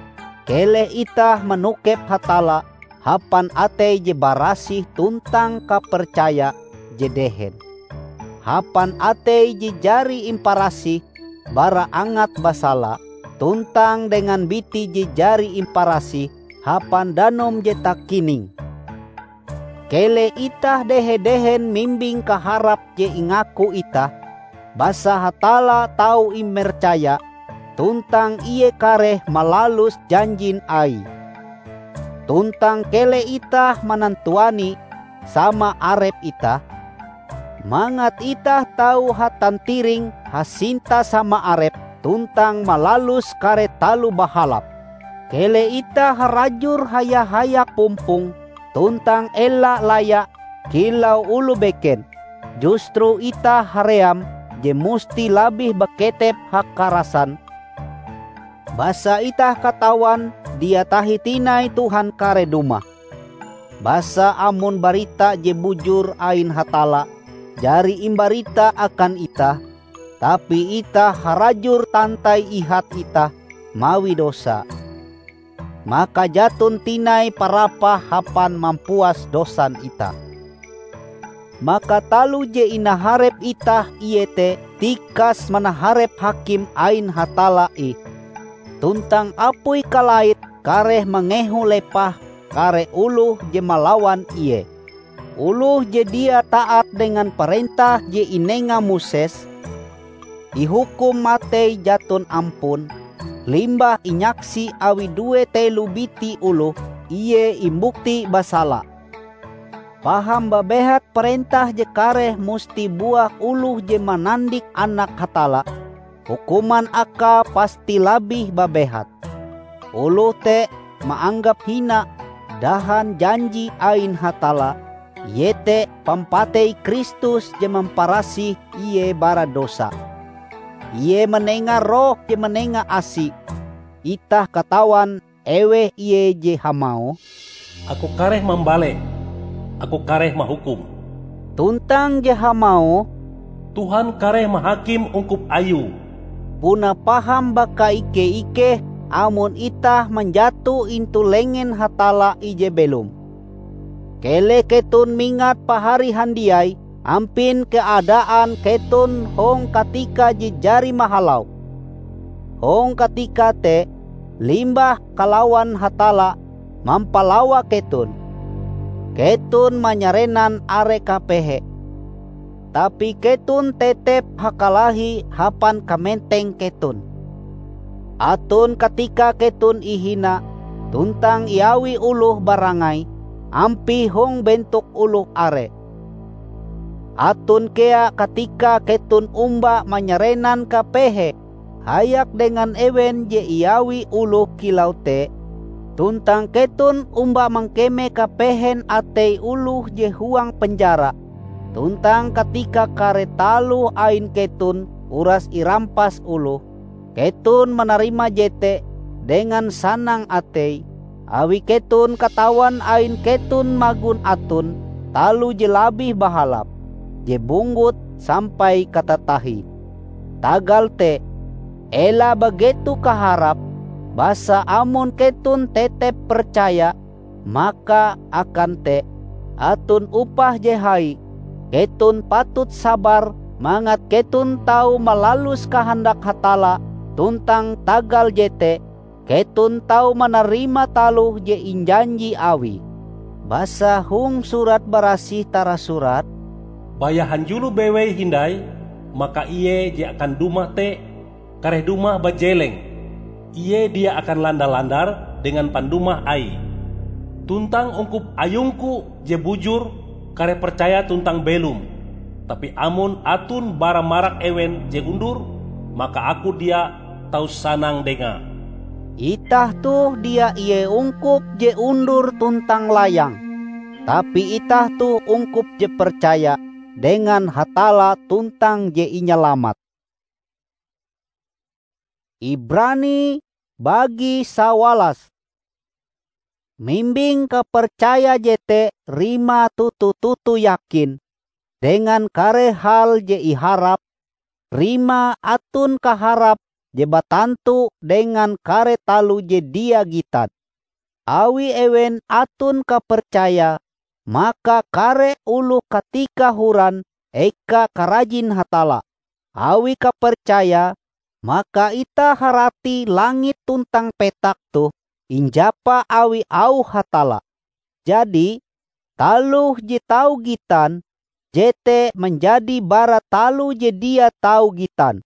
keleh itah manokep Hatalla hapan atei je barasih tuntang kapercaya je dehen, hapan atei je jari imparasih bara angat basala, tuntang dengan biti je jari imparasih hapan danum je takining. Keleh itah dehe-dehen mimbing kaharap je ingaku itah, basa Hatalla tau imercaya, tuntang Ie kareh malalus janjin Aie. Tuntang keleh itah manantuani sama arep itah, mangat itah tau hatantiring hasinta sama arep tuntang malalus kare taloh bahalap. Keleh itah harajur haya-hayak pumpong tuntang ela laya kilau oloh beken, justru itah haream je musti labih baketep hakarasan, basa itah katawan dia tahi tinai Tuhan kareh dumah. Basa amon barita je bujur ain Hatalla jari imbarita akan itah, tapi itah harajur tantai ihat itah mawi dosa, maka jaton tinai parapah hapan mampuas dosan itah. Maka taloh je inaharep itah iete tikas manaharep hakim ain Hatalla ih, tuntang apui kalait kareh mangehu lepah kare oloh je malawan Ie. Oloh je dia taat dengan parentah je inenga Moses, ihukum matei jaton ampun, limbah inyaksi awi due telo biti oloh ie imbukti basala. Paham babehat parentah je kareh musti buah oloh je manandik Anak Hatalla, hukuman akae pasti labih babehat. Oloh te maanggap hina dahan janji ain Hatalla, iete pampatei Kristus je mamparasih ie bara dosa. Ie manenga Roh je manenga asi. Itah katawan eweh Ie je hamauh, "Aku kareh mambale, Aku kareh mahukum." Tuntang je hamauh, "Tuhan kareh mahakim ungkup Ayue." Puna paham bakaike-ikeh amon itah manjato intu lengen Hatalla ije belom. Keleh keton mingat pahari handiai ampin keadaan keton hong katika je jari mahalau. Hong katika te, limbah kalawan Hatalla mampalawa keton, keton manyarenan are kapehe. Tapi keton tetep hakalahi hapan kamenteng keton. Aton katika keton ihina tuntang iawi oloh barangai ampie hong bentok oloh are. Aton kea katika keton omba manyarenan kapehe hayak dengan ewen je iawi oloh kilau te, tuntang keton omba mangkeme kapehen atei oloh je huang penjara. Tuntang katika kare taloh ain keton uras irampas oloh, keton manarima jete dengan sanang atei, awi keton katawan ain keton magon aton taloh je labih bahalap, je bunggut sampai katatahie. Tagal te, ela bageto kaharap, basa amon keton tetep percaya, maka akan te aton upah je hai. Keton patut sabar mangat keton tau malalus kahandak Hatalla, tuntang tagal jete, keton tau manarima taloh je injanji Awie. Basa hong Surat Barasih tarasurat, Baya hanjulo bewei hindai, maka ie je akan dumah te kareh dumah bajeleng. Ie dia akan landa-landar dengan pandumah aie. Tuntang ungkup ayungku je bujur kareh percaya tuntang belom. Tapi amon aton bara marak ewen je undur, maka aku dia tau sanang dengae. Itah toh dia ie ungkup je undur tuntang layang, tapi itah toh ungkup je percaya dengan Hatalla tuntang je inyalamat. Ibrani bagi sawalas. Mimbing kapercaya jete rimae toto-toto yakin dengan kare hal je iharap, rimae aton kaharap je batantu dengan kare taloh je dia gitan. Awi ewen aton kapercaya, maka kare oloh katika horan eka karajin Hatalla. Awi kapercaya, maka itah harati langit tuntang petak toh injapa awi auh Hatalla. Jadi, taloh je tau gitan, jete manjadi bara taloh je dia tau gitan.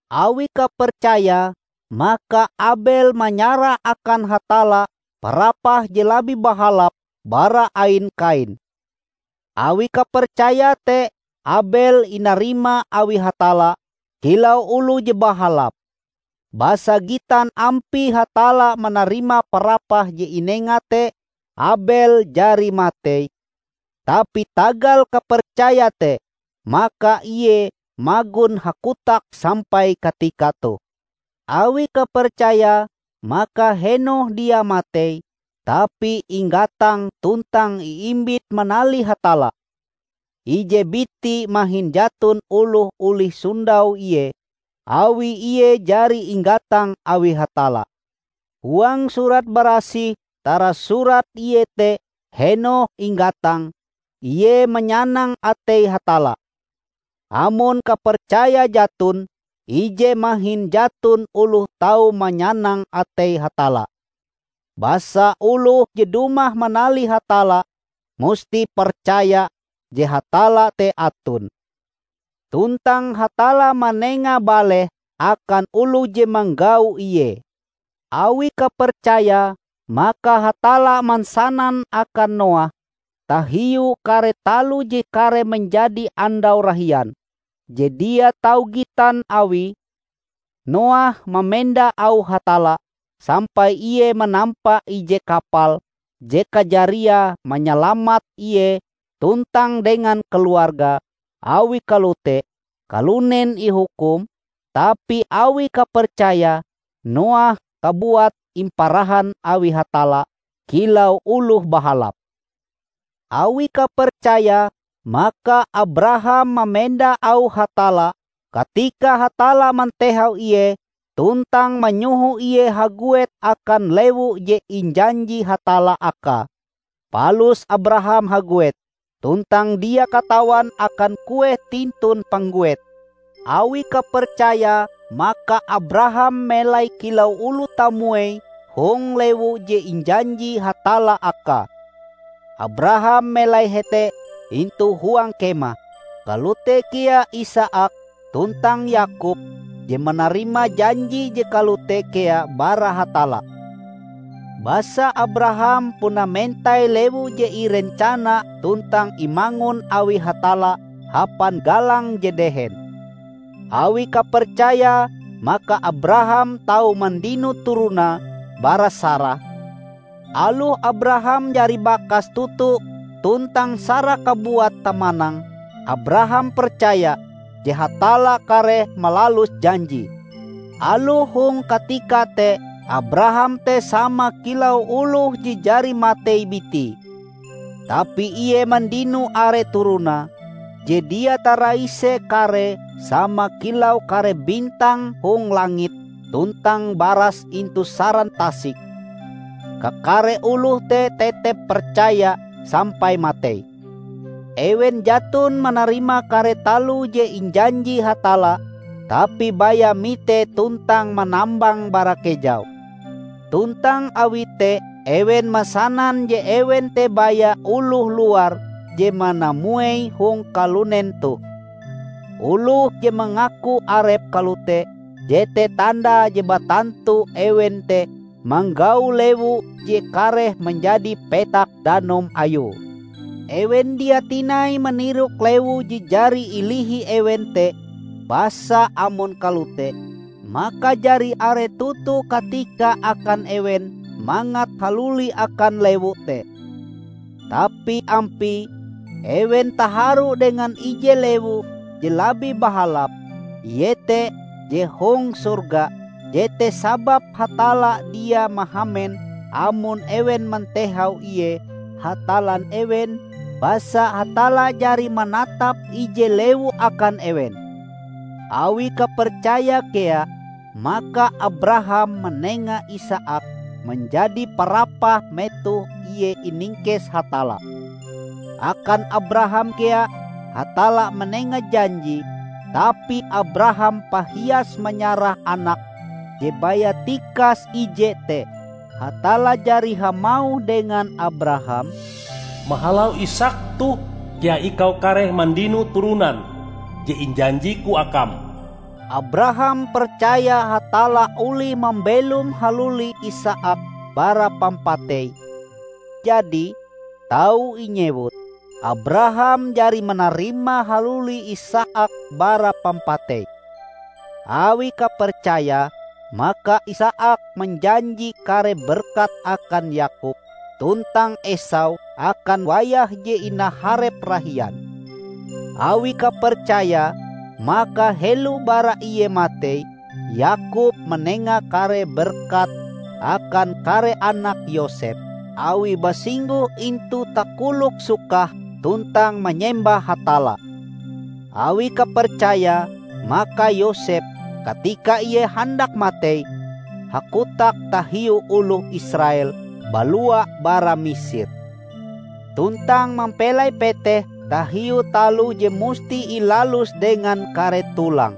Awi kapercaya, maka Abel manyarah akan Hatalla parapah je labih bahalap bara ain Kain. Awi kapercaya te Abel inarima awi Hatalla kilau oloh je bahalap. Basa gitan ampie Hatalla manarima parapah je inenga te, Abel jari matei, tapi tagal kapercaya te, maka ie magon hakotak sampai katika toh. Awi kapercaya, maka Henokh dia matei, tapi inggatang tuntang iimbit manalih Hatalla. Ije biti mahin jaton oloh olih sondau ie, awi ie jari inggatang awi Hatalla. Huang Surat Barasih tarasurat iete Henokh inggatang, ie manyanang atei Hatalla. Amon kapercaya jaton, ije mahin jaton oloh tau manyanang atei Hatalla. Basa oloh je dumah manalih Hatalla musti percaya je Hatalla te aton. Tuntang Hatalla manenga baleh akan oloh je manggau Ie. Awi kapercaya, maka Hatalla mansanan akan Noah tahiu kare taloh je kareh manjadi andau rahian, je dia tau gitan awie. Noah mamenda auh Hatalla sampai ie manampa ije kapal je kajariae manyalamat ie tuntang dengan keluargae. Awi kalote, kalunen ihukum, tapi awi kapercaya, Noah kabuat imparahan awi Hatalla kilau oloh bahalap. Awi kapercaya, maka Abraham mamenda auh Hatalla katika Hatalla mantehau ie tuntang manyoho ie haguet akan lewu je injanji Hatalla akae. Palus Abraham haguet, tuntang dia katawan akan kueh tintun pangguet. Awi kapercaya, maka Abraham melai kilau oloh tamuei hong lewu je injanji Hatalla akae. Abraham melai hete intu huang kemah, kalote kea Isaak tuntang Yakub je manarima janji je kalote kea bara Hatalla. Basa Abraham puna mentai lewu je irencana tuntang imangun awi Hatalla hapan galang je dehen. Awi kapercayae, maka Abraham tau mandino turonae bara Sarah. Aloh Abraham jari bakas toto tuntang Sarah kabuat tamanang, Abraham percaya je Hatalla kareh malalus janjie. Aloh hong katika te Abraham te sama kilau oloh je jari matei bitie, tapi ie mandino are turonae, je dia taraise karee sama kilau kare bintang hong langit tuntang baras intu saran tasik. Kakare oloh te tetep percaya sampai matei. Ewen jaton manarima kare taloh je injanji Hatalla, tapi baya mite tuntang manambang bara kejau. Tuntang awi te ewen masanan je ewen te baya oloh luar je manamuei hong kalunen toh. Oloh je mangaku arepe kalote, jete tandae je batantu ewen te manggau lewu je kareh manjadi petak danum ayue. Ewen dia tinai manirok lewu je jari ilihi ewen te, basa amon kalote, maka jari are toto katika akan ewen mangat haluli akan lewu te. Tapi ampie, ewen taharu dengan ije lewu je labih bahalap, iete je hong sorga. Jete sababe Hatalla dia mahamen amon ewen mantehau Ie Hatallan ewen, basa Hatalla jari manatap ije lewu akan ewen. Awi kapercaya kea, maka Abraham manenga Isaak manjadi parapah metoh ie iningkes Hatalla. Akan Abraham kea Hatalla manenga janji, tapi Abraham pahias manyarah anak je baya tikas ije te. Hatalla jari hamauh dengan Abraham, "Mahalau Isaak toh kea ikau kareh mandino turonan je injanji-Ku akam." Abraham percaya Hatalla olih mambelom haluli Isaak bara pampatei. Jadi, tau inyewut, Abraham jari manarima haluli Isaak bara pampatei. Awi kapercaya, maka Isaak manjanji kare berkat akan Yakub tuntang Esau akan wayah je inaharep rahian. Awi kapercaya, maka helo bara ie matei, Yakub manenga kare berkat akan kare anak Yosep, awi basingguh intu takolok sukah tuntang manyembah Hatalla. Awi kapercaya, maka Yosep, katika ie handak matei, hakotak tahiu oloh Israel balua bara Misir, tuntang mampelai peteh tahiu taloh je musti ilalus dengan kare tulang.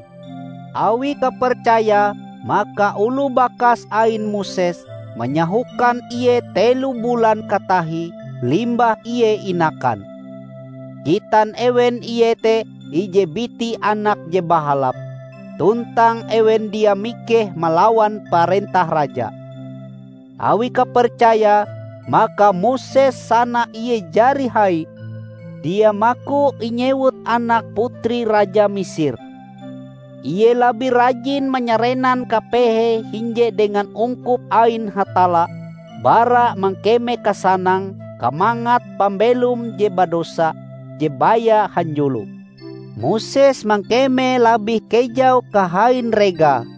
Awi kapercaya, maka oloh bakas ain Moses manyahokan ie telo bulan katahie limbah ie inakan. Gitan ewen ie te ije biti anak je bahalap, tuntang ewen dia mikeh malawan parentah raja. Awi kapercaya, maka Moses sana ie jari hai, dia maku inyewut anak putri raja Misir. Ie labih rajin manyarenan kapehe hinje dengan ungkup ain Hatalla bara mangkeme kasanang kamangat pambelom je badosa je baya hanjulo. Moses mangkeme labih kejau kahain regae,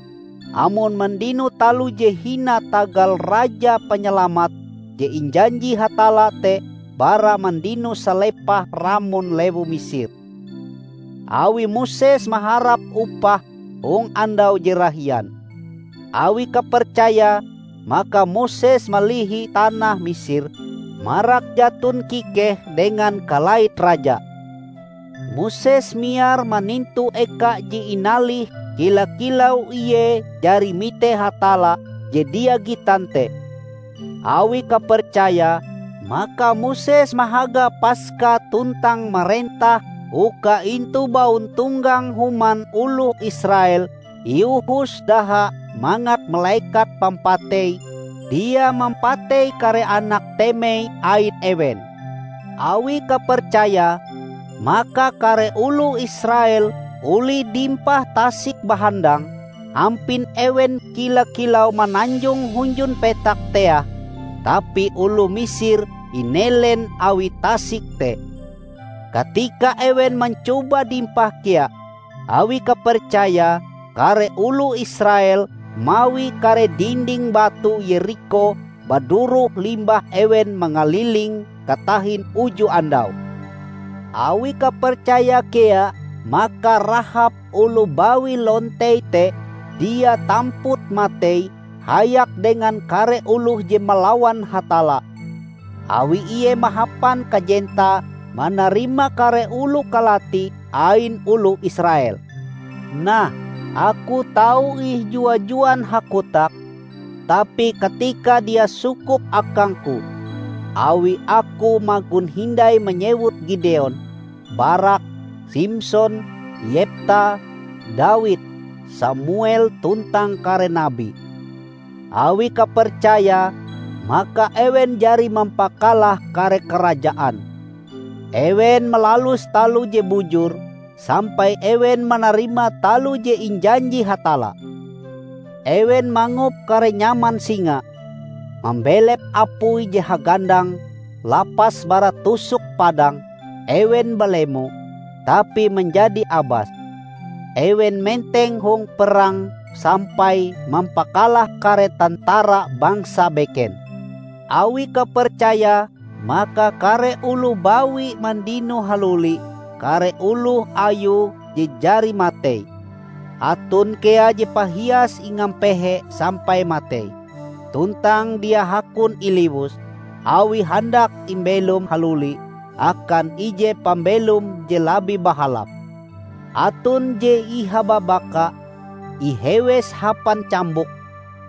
amon mandino taloh je hina tagal Raja Panyalamat je injanji Hatalla te bara mandino salepah ramon lewu Misir. Awi Moses maharap upah hong andau je rahian. Awi kapercaya, maka Moses malihi tanah Misir, marak jaton kikeh dengan kalait raja. Moses miar manintu eka je inalih kila-kilau ie jari mite Hatalla je dia gitan te. Awi kapercaya, maka Moses mahaga Paska tuntang marentah uka intu bauntonggang human oloh Israel iuhus daha mangat malekat pampatei dia mampatei kare anak temei ain ewen. Awi kapercaya, maka kare oloh Israel olih dimpah tasik bahandang, ampin ewen kila-kilau mananjong hunjun petak teah, tapi oloh Misir inelen awi tasik te. Katika ewen mancoba dimpah kea, awi kapercaya, kare oloh Israel mawi kare dinding batu Yerikho baduroh limbah ewen mangaliling katahin uju andau. Awi kapercaya kea, maka Rahab oloh bawi lontei te dia tamput matei hayak dengan kare oloh je malawan Hatalla, awi ie mahapan kajentae manarima kare oloh kalati ain oloh Israel. Nah, aku tau ih jua-juan hakotak, tapi katika dia sukup akangku, awi aku magon hindai manyewut Gideon, Barak, Simson, Yepta, Dawid, Samuel tuntang kare nabi. Awi kapercayae, maka ewen jari mampakalah kare karajaan. Ewen malalus taloh je bujur, sampai ewen manarima taloh je injanji Hatalla. Ewen mangup kare nyaman singa, mambelep apui je hagandang lapas bara tusok padang, ewen balemo, tapi manjadi abas. Ewen menteng hong perang sampai mampakalah kare tantara bangsa beken. Awi kapercayae, maka kare oloh bawi mandino haluli kare oloh ayue je jari matei. Aton kea je pahias ingampehe sampai matei, tuntang dia hakon iliwus, awi handak imbelom haluli akan ije pambelom je labih bahalap. Aton je ihababaka, ihewes hapan cambuk,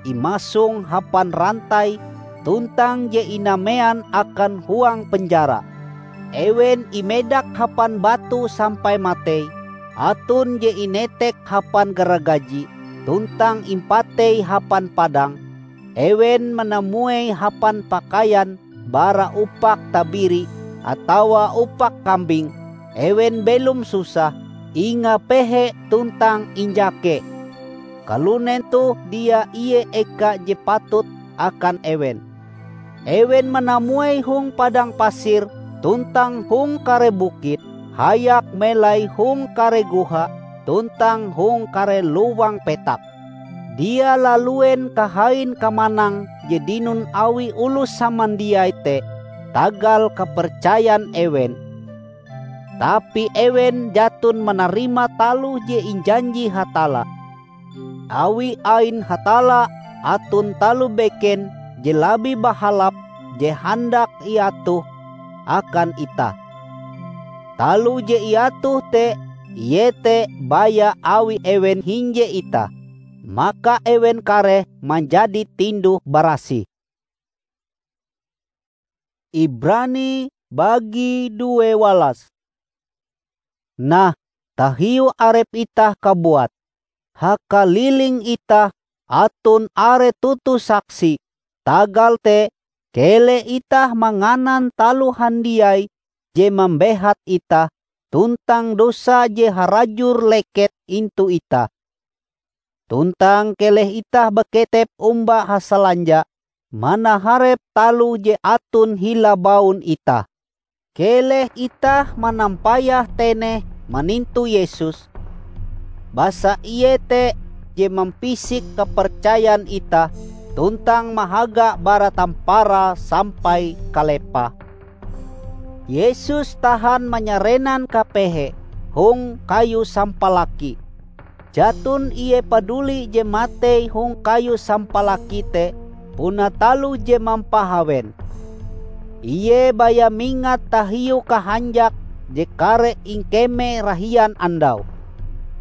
imasong hapan rantai, tuntang je inamean akan huang penjara. Ewen imedak hapan batu sampai matei, aton je inetek hapan garagaji, tuntang impatei hapan padang. Ewen manamuei hapan pakaian bara upak tabiri atawa upak kambing, ewen belom susah, ingapehe tuntang injake. Kalunen toh dia ie eka je patut akan ewen. Ewen manamuei hong padang pasir tuntang hong kare bukit, hayak melai hong kare goha tuntang hong kare lowang petak. Dia laluen kahain kamanang je dinon awi oloh samandiai te tagal kapercayan ewen, tapi ewen jaton manarima taloh je injanji Hatalla. Awi ain Hatalla aton taloh beken je labih bahalap je handak iatoh akan itah. Taloh je iatoh te iete baya awi ewen hinje itah, maka ewen kareh manjadi tinduh-barasih. Ibrani bagi due walas. Nah, tahiu arep itah kabuat, hakaliling itah aton are toto saksi. Tagal te, keleh itah manganan taloh handiai je mambehat itah, tuntang dosa je harajur leket intu itah. Tuntang keleh itah baketep omba hasalanja manaharep taloh je aton hila baun itah. Keleh itah manampayah teneh manintu Yesus, basa Ie te je mampisik kapercayan itah tuntang mahaga bara tamparae sampai kalepahe. Yesus tahan manyarenan kapehe hong kayu sampalaki. Jaton Ie paduli je matei hong kayu sampalaki te puna taloh je mampahawen. Ie baya mingat tahiu kahanjak je kareh ingkeme rahian andau.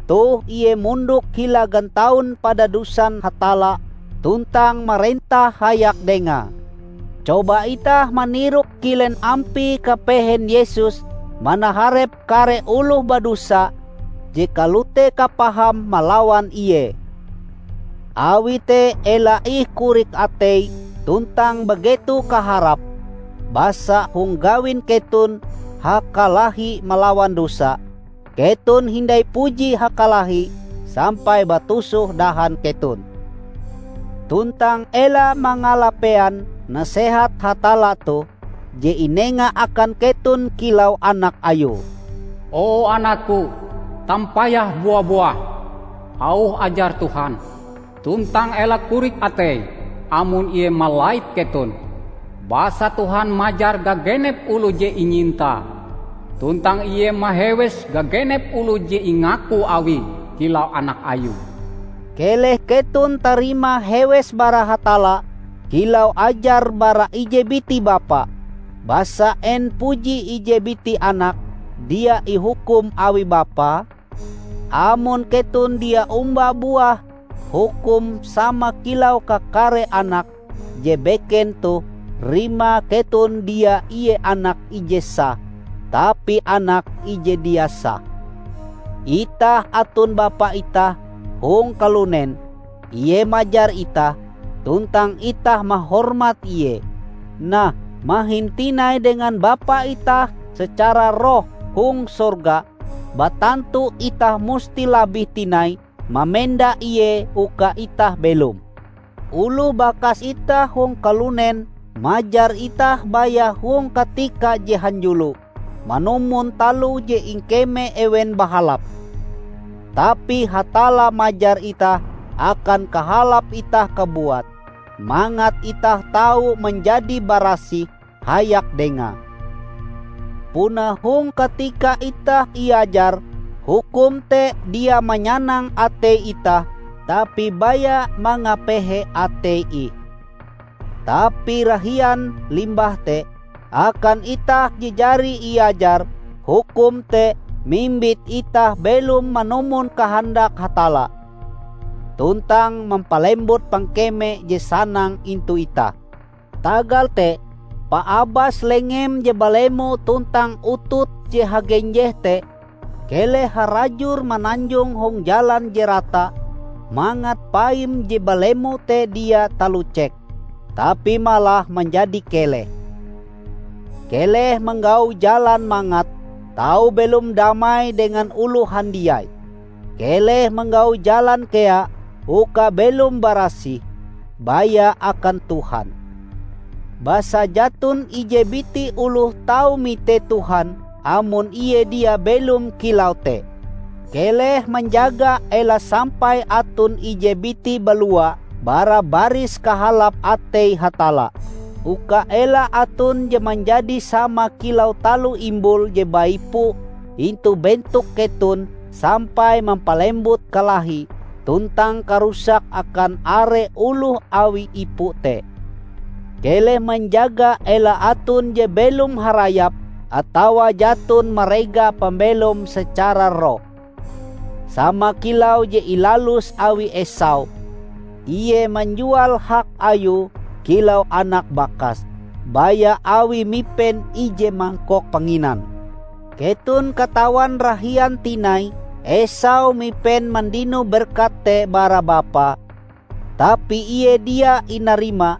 Toh Ie mondok hila gantaun padadusan Hatalla tuntang marentah hayak Dengae. Coba itah manirok kilen ampie kapehen Yesus manaharep kare oloh badosa je kalote kapaham malawan Ie. Awi te ela ih korik atei tuntang bageto kaharap, basa hong gawin keton hakalahi malawan dosa, keton hindai puji hakalahi sampai batusoh dahan keton. Tuntang ela mangalapean nasehat Hatalla toh je inenga akan keton kilau anak Ayue. "O anakku, tampayah bua-buah, auh ajar Tuhan, tuntang ela korik atei amon Ie malait keton. Basa Tuhan majar gagenep oloh je inyintae, tuntang Ie mahewes gagenep oloh je ingaku Awie kilau anak Ayue." Keleh keton tarima hewes bara Hatalla kilau ajar bara ije biti bapa. Basa en puji ije biti anak dia ihukum awi bapae? Amon keton dia omba buah hukum sama kilau kakare anak je beken toh, rimae keton dia ie anak ije sah, tapi anak ije dia sah. Itah aton bapa itah hong kalunen, ie majar itah, tuntang itah mahormat ie. Nah, mahin tinai dengan bapa itah secara roh hong sorga, batantu itah musti labih tinai mamenda ie uka itah belom. Oloh bakas itah hong kalunen majar itah baya hong katika je hanjulo manumon taloh je ingkeme ewen bahalap. Tapi Hatalla majar itah akan kahalap itah kabuat, mangat itah tau manjadi barasih hayak Dengae. Puna hong katika itah iajar, hukum te dia manyanang atei itah, tapi baya mangapehe atei ih. Tapi rahian limbah te, akan itah je jari iajar, hukum te mimbit itah belom manumon kahandak Hatalla, tuntang mampalembut pangkeme je sanang intu itah. Tagal te, paabas lengem je balemo tuntang utut je hagenjeh te, keleh harajur mananjong hong jalan je rata, mangat paim je balemo te dia talucek, tapi malah manjadi keleh. Keleh manggau jalan mangat tau belom damai dengan oloh handiai. Keleh manggau jalan kea uka belom barasih, baya akan Tuhan. Basa jaton ije biti oloh tau mite Tuhan amon ie dia belom kilau te. Keleh manjaga ela sampai aton ije biti balua bara baris kahalap atei Hatalla, uka ela aton je manjadi sama kilau taloh imbul je baipu intu bentok keton sampai mampalembut kalahi tuntang karusak akan are oloh awi ipu te. Keleh manjaga ela aton je belom harayap atawa jaton marega pambelom secara roh. Sama kilau je ilalus awi Esau, ie manjual hak ayue kilau anak bakas, baya awi mipen ije mangkok panginan. Keton katawan rahian tinai Esau mipen mandino berkat te bara bapae, tapi ie dia inarima,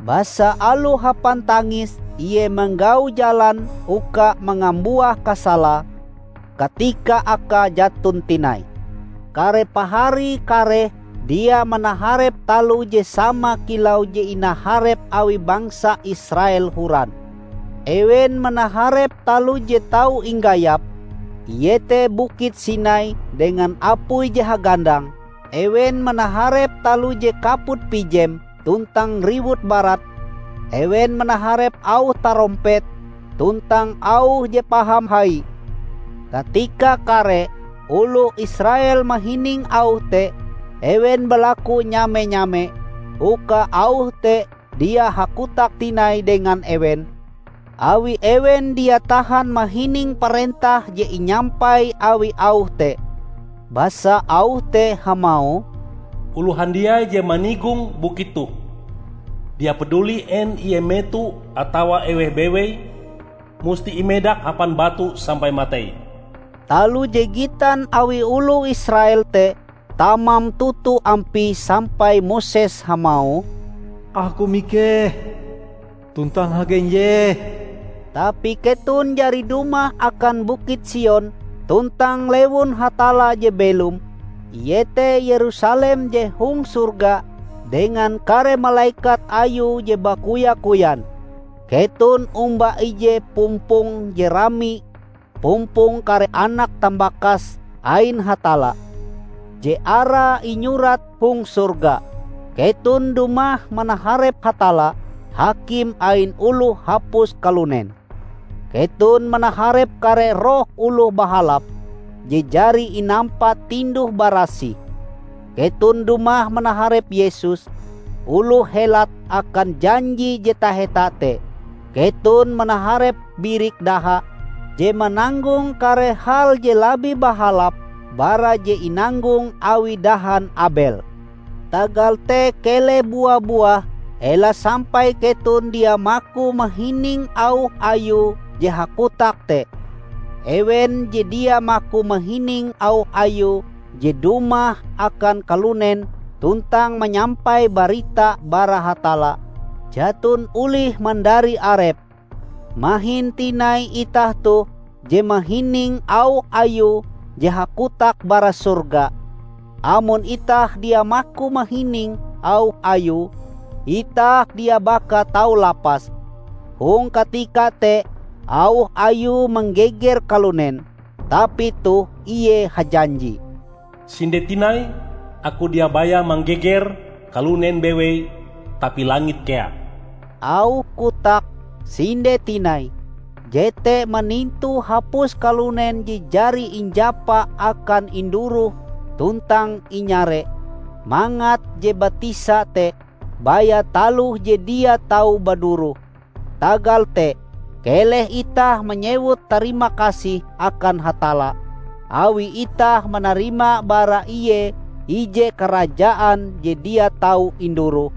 basa aloh hapan tangis ie manggau jalan uka mangambuah kasalae katika akae jaton tinai. Kare pahari kareh dia manaharep taloh je sama kilau je inaharep awi bangsa Israel horan. Ewen manaharep taloh je tau inggayap, iete Bukit Sinai dengan apui je hagandang, ewen manaharep taloh je kaput pijem tuntang riwut barat, ewen manaharep auh tarompet tuntang auh je paham hai. Katika kare oloh Israel mahining auh te, ewen balaku nyame-nyame uka auh te dia hakotak tinai dengan ewen, awi ewen dia tahan mahining parentah je inyampai awi auh te. Basa auh te hamauh, "Oloh handiai je manigong bukit toh, dia paduli en ie meto atawa eweh bewei, musti imedak hapan batu sampai matei." Taloh je gitan awi oloh Israel te tamam toto ampie sampai Moses hamauh, "Aku mikeh, tuntang hagenjeh." Tapi keton jari dumah akan Bukit Sion tuntang lewun Hatalla je belom, iete Yerusalem je hong sorga, dengan kare malekat ayue je bakoya-koyan. Keton omba ije pumpong je rami pumpong kare anak tambakas ain Hatalla, je arae inyurat hong sorga. Keton dumah manaharep Hatalla, Hakim ain oloh hapus kalunen. Keton manaharep kare roh oloh bahalap je jari inampa tinduh-barasih. Keton dumah manaharep Yesus, oloh helat akan janji je taheta te. Keton manaharep birik daha je mananggong kare hal je labih bahalap bara je inanggong awi dahan Abel. Tagal te keleh bua-buah Ela sampai keton dia maku mahining auh Ayue je hakotak te. Ewen je dia maku mahining auh Ayue je dumah akan kalunen tuntang manyampai barita bara Hatalla, jaton olih mandari arepe. Mahin tinai itah toh je mahining auh Ayue je hakotak bara sorga. Amon itah dia maku mahining auh Ayue, itah dia baka tau lapas. Hong katika te, auh Ayue manggeger kalunen, tapi toh Ie hajanji, "Sinde tinai, Aku dia baya manggeger kalunen bewei, tapi langit kea." Auh kotak "Sinde tinai" jete manintu hapus kalunen je jari injapa akan induroh tuntang inyare, mangat je batisa te baya taloh je dia tau baduroh. Tagal te, keleh itah manyewut tarima kasih akan Hatalla, awi itah manarima bara Ie ije karajaan je dia tau induroh.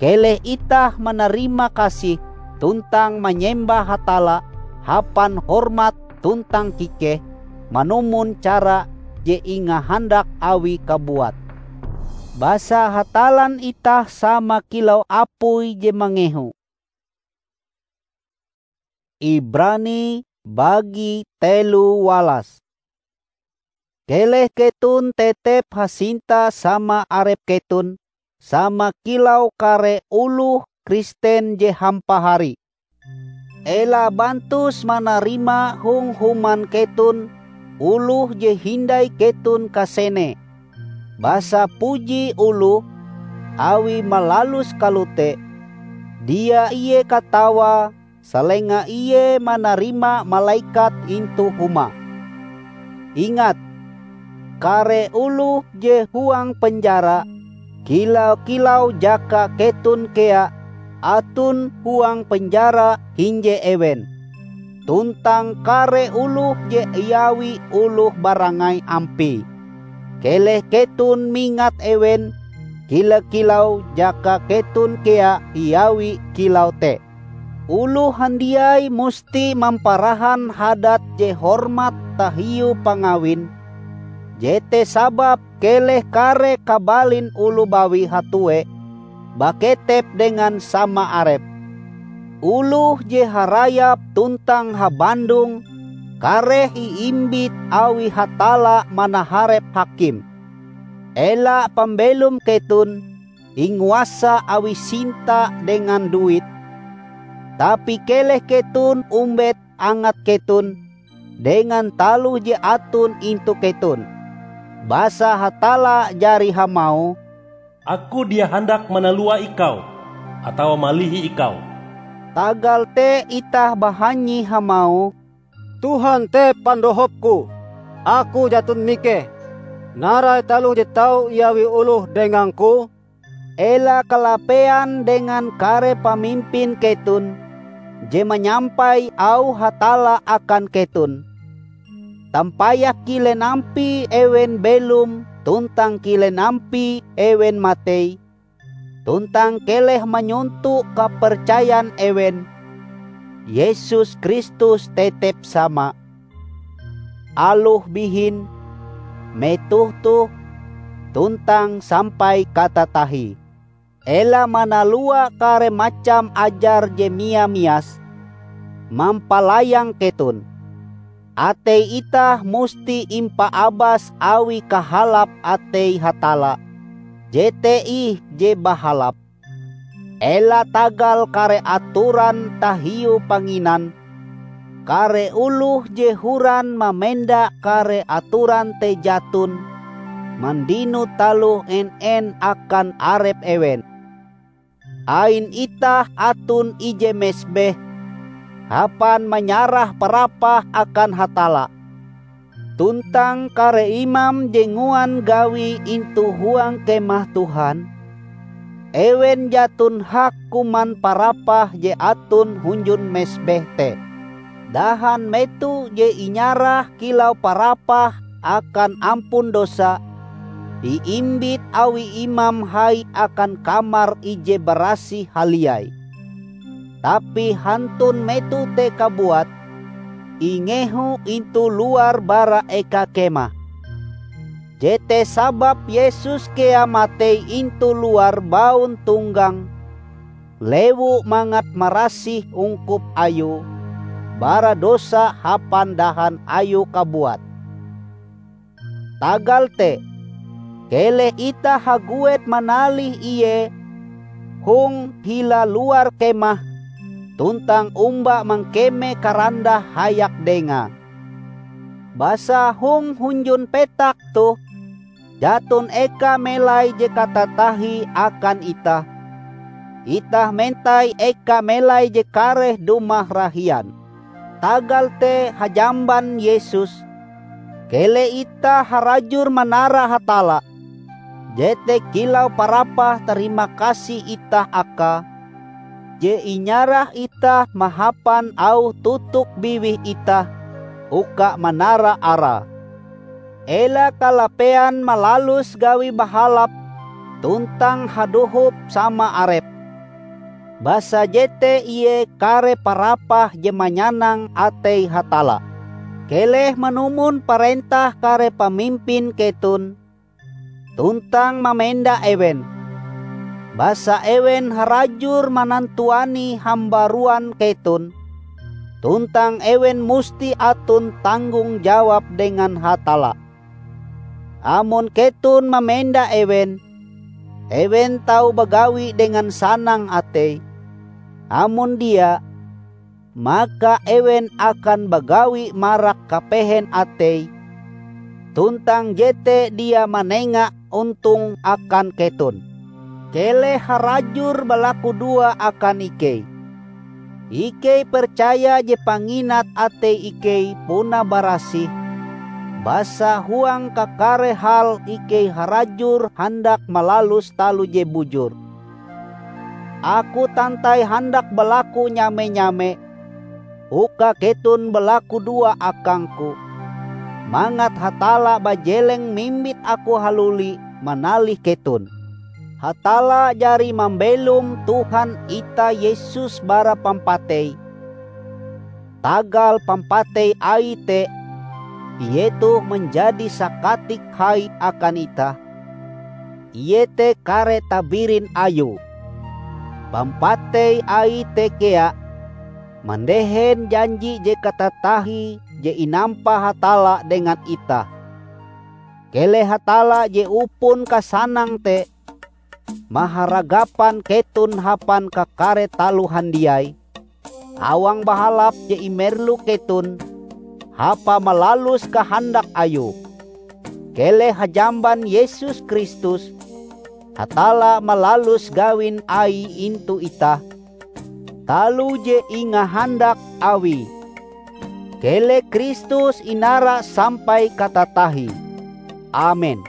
Keleh itah manarima kasih tuntang manyembah Hatalla hapan hormat tuntang kikeh, manumon cara je ingahandak Awie kabuat. Basa Hatallan itah sama kilau apui je mangehu. Ibrani bagi telu walas. Keleh keton tetep hasinta sama arep keton, sama kilau kare oloh Kristen je hampahari. Ela bantus manarima hong human keton oloh je hindai keton kasene. Basa puji oloh, awi malalus kalote, dia ie katawae salenga ie manarima malekat intu humae. Ingat, kare oloh je huang penjara, kilau-kilau jaka keton kea aton huang penjara hinje ewen, tuntang kare oloh je iawi oloh barangai ampie. Keleh keton mingat ewen, kila-kilau jaka keton kea iawi kilau te. Oloh handiai musti mamparahan hadat je hormat tahiu pangawin. Jete sababe keleh kare kabalin oloh bawi hatue baketep dengan sama arepe. Oloh je harayap tuntang habandong kareh iimbit awi Hatalla manaharep hakim. Ela pambelom keton inguasa awi sinta dengan duit, tapi keleh keton ombet angat keton dengan taloh je aton intu keton. Basa Hatalla jari hamauh, "Aku dia handak manalua ikau atawa malihi ikau." Tagal te itah bahanyi hamauh, "Tuhan te pandohopku, aku jaton mikeh. Narai taloh je tau iawi oloh dengangku?" Ela kalapean dengan kare pamimpin keton je manyampai auh Hatalla akan keton. Tampayah kilen ampie ewen belom tuntang kilen ampie ewen matei, tuntang keleh manyonto kapercayan ewen, Yesus Kristus tetep sama, aloh bihin, metoh toh, tuntang sampai katatahie. Ela manalua kare macam ajar je mia-mias mampalayang keton. Atei itah musti impaabas awi kahalap atei Hatalla, jete ih je bahalap. Ela tagal kare atoran tahiu panginan, kare oloh je horan mamenda kare atoran te jaton mandino taloh en-en akan arep ewen. Ain itah aton ije mesbeh hapan manyarah parapah akan Hatalla. Tuntang kare imam je nguan gawi intu huang Kemah Tuhan, ewen jaton hak kuman parapah je aton hunjun mesbeh te. Dahan meto je inyarah kilau parapah akan ampun dosa, iimbit awi imam hai akan Kamar Ije Barasih Haliai. Tapi hantun meto te kabuat, ingehu intu luar bara eka kemah. Jete sababe Yesus kea matei intu luar bauntonggang lewu mangat marasih ungkup Ayue bara dosa hapan dahan Ayue kabuat. Tagal te, keleh itah haguet manalih Ie hong hila luar kemah tuntang omba mangkeme karandah hayak Dengae. Basa hong hunjun petak toh jaton eka melai je katatahie akan itah. Itah mentai eka melai je kareh dumah rahian. Tagal te hajamban Yesus, keleh itah harajur manara Hatalla, jete kilau parapah tarimakasih itah Akae, je inyarah itah mahapan auh tutuk biwih itah uka manara Arae. Ela kalapean malalus gawi bahalap tuntang hadohop sama arep, basa jete ie kare parapah je manyanang atei Hatalla. Keleh manumon parentah kare pamimpin keton tuntang mamenda ewen, basa ewen harajur manantuani hambaruan keton, tuntang ewen musti aton tanggong jawab dengan Hatalla. Amon keton mamenda ewen, ewen tau bagawi dengan sanang atei. Amon dia, maka ewen akan bagawi marak kapehen atei, tuntang jete dia manenga ontong akan keton. Keleh harajur balakudoa akan ikei. Ikei percaya je panginat atei ikei puna barasih, basa huang kakare hal ikei harajur handak malalus taloh je bujur. Aku tantai handak balaku nyame-nyame uka keton balakudoa akangku, mangat Hatalla bajeleng mimbit aku haluli manalih keton. Hatalla jari mambelom Tuhan itah Yesus bara pampatei. Tagal pampatei Aie te, Ie toh manjadi sakatik hai akan itah, iete kare tabirin Ayue. Pampatei Aie te kea mandehen janji je katatahie je inampa Hatalla dengan itah. Keleh Hatalla je upon kasanang te maharagapan keton hapan kakare taloh handiai, awang bahalap je imerlu keton hapa malalus kahandak Ayue. Keleh hajamban Yesus Kristus, Hatalla malalus gawin Aie intu itah, taloh je ingahandak Awie. Keleh Kristus inara sampai katatahie. Amen.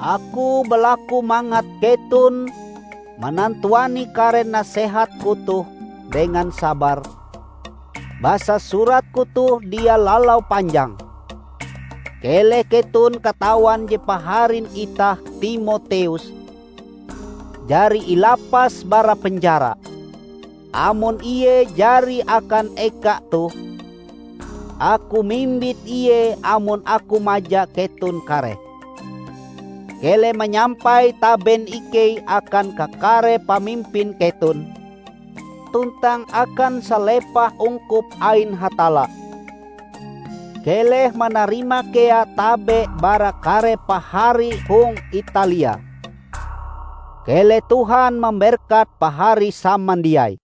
Aku balaku mangat keton manantuani kare nasehatku toh dengan sabar, basa suratku toh dia lalau panjang. Keleh keton katawan je paharin itah Timoteus jari ilapas bara penjara. Amon ie jari akan eka toh, aku mimbit ie amon aku maja keton kareh. Keleh manyampai taben ikei akan kakare pamimpin keton, tuntang akan salepah ungkup ain Hatalla. Keleh manarima kea tabe bara kare pahari hong Italia. Keleh Tuhan mamberkat pahari samandiai.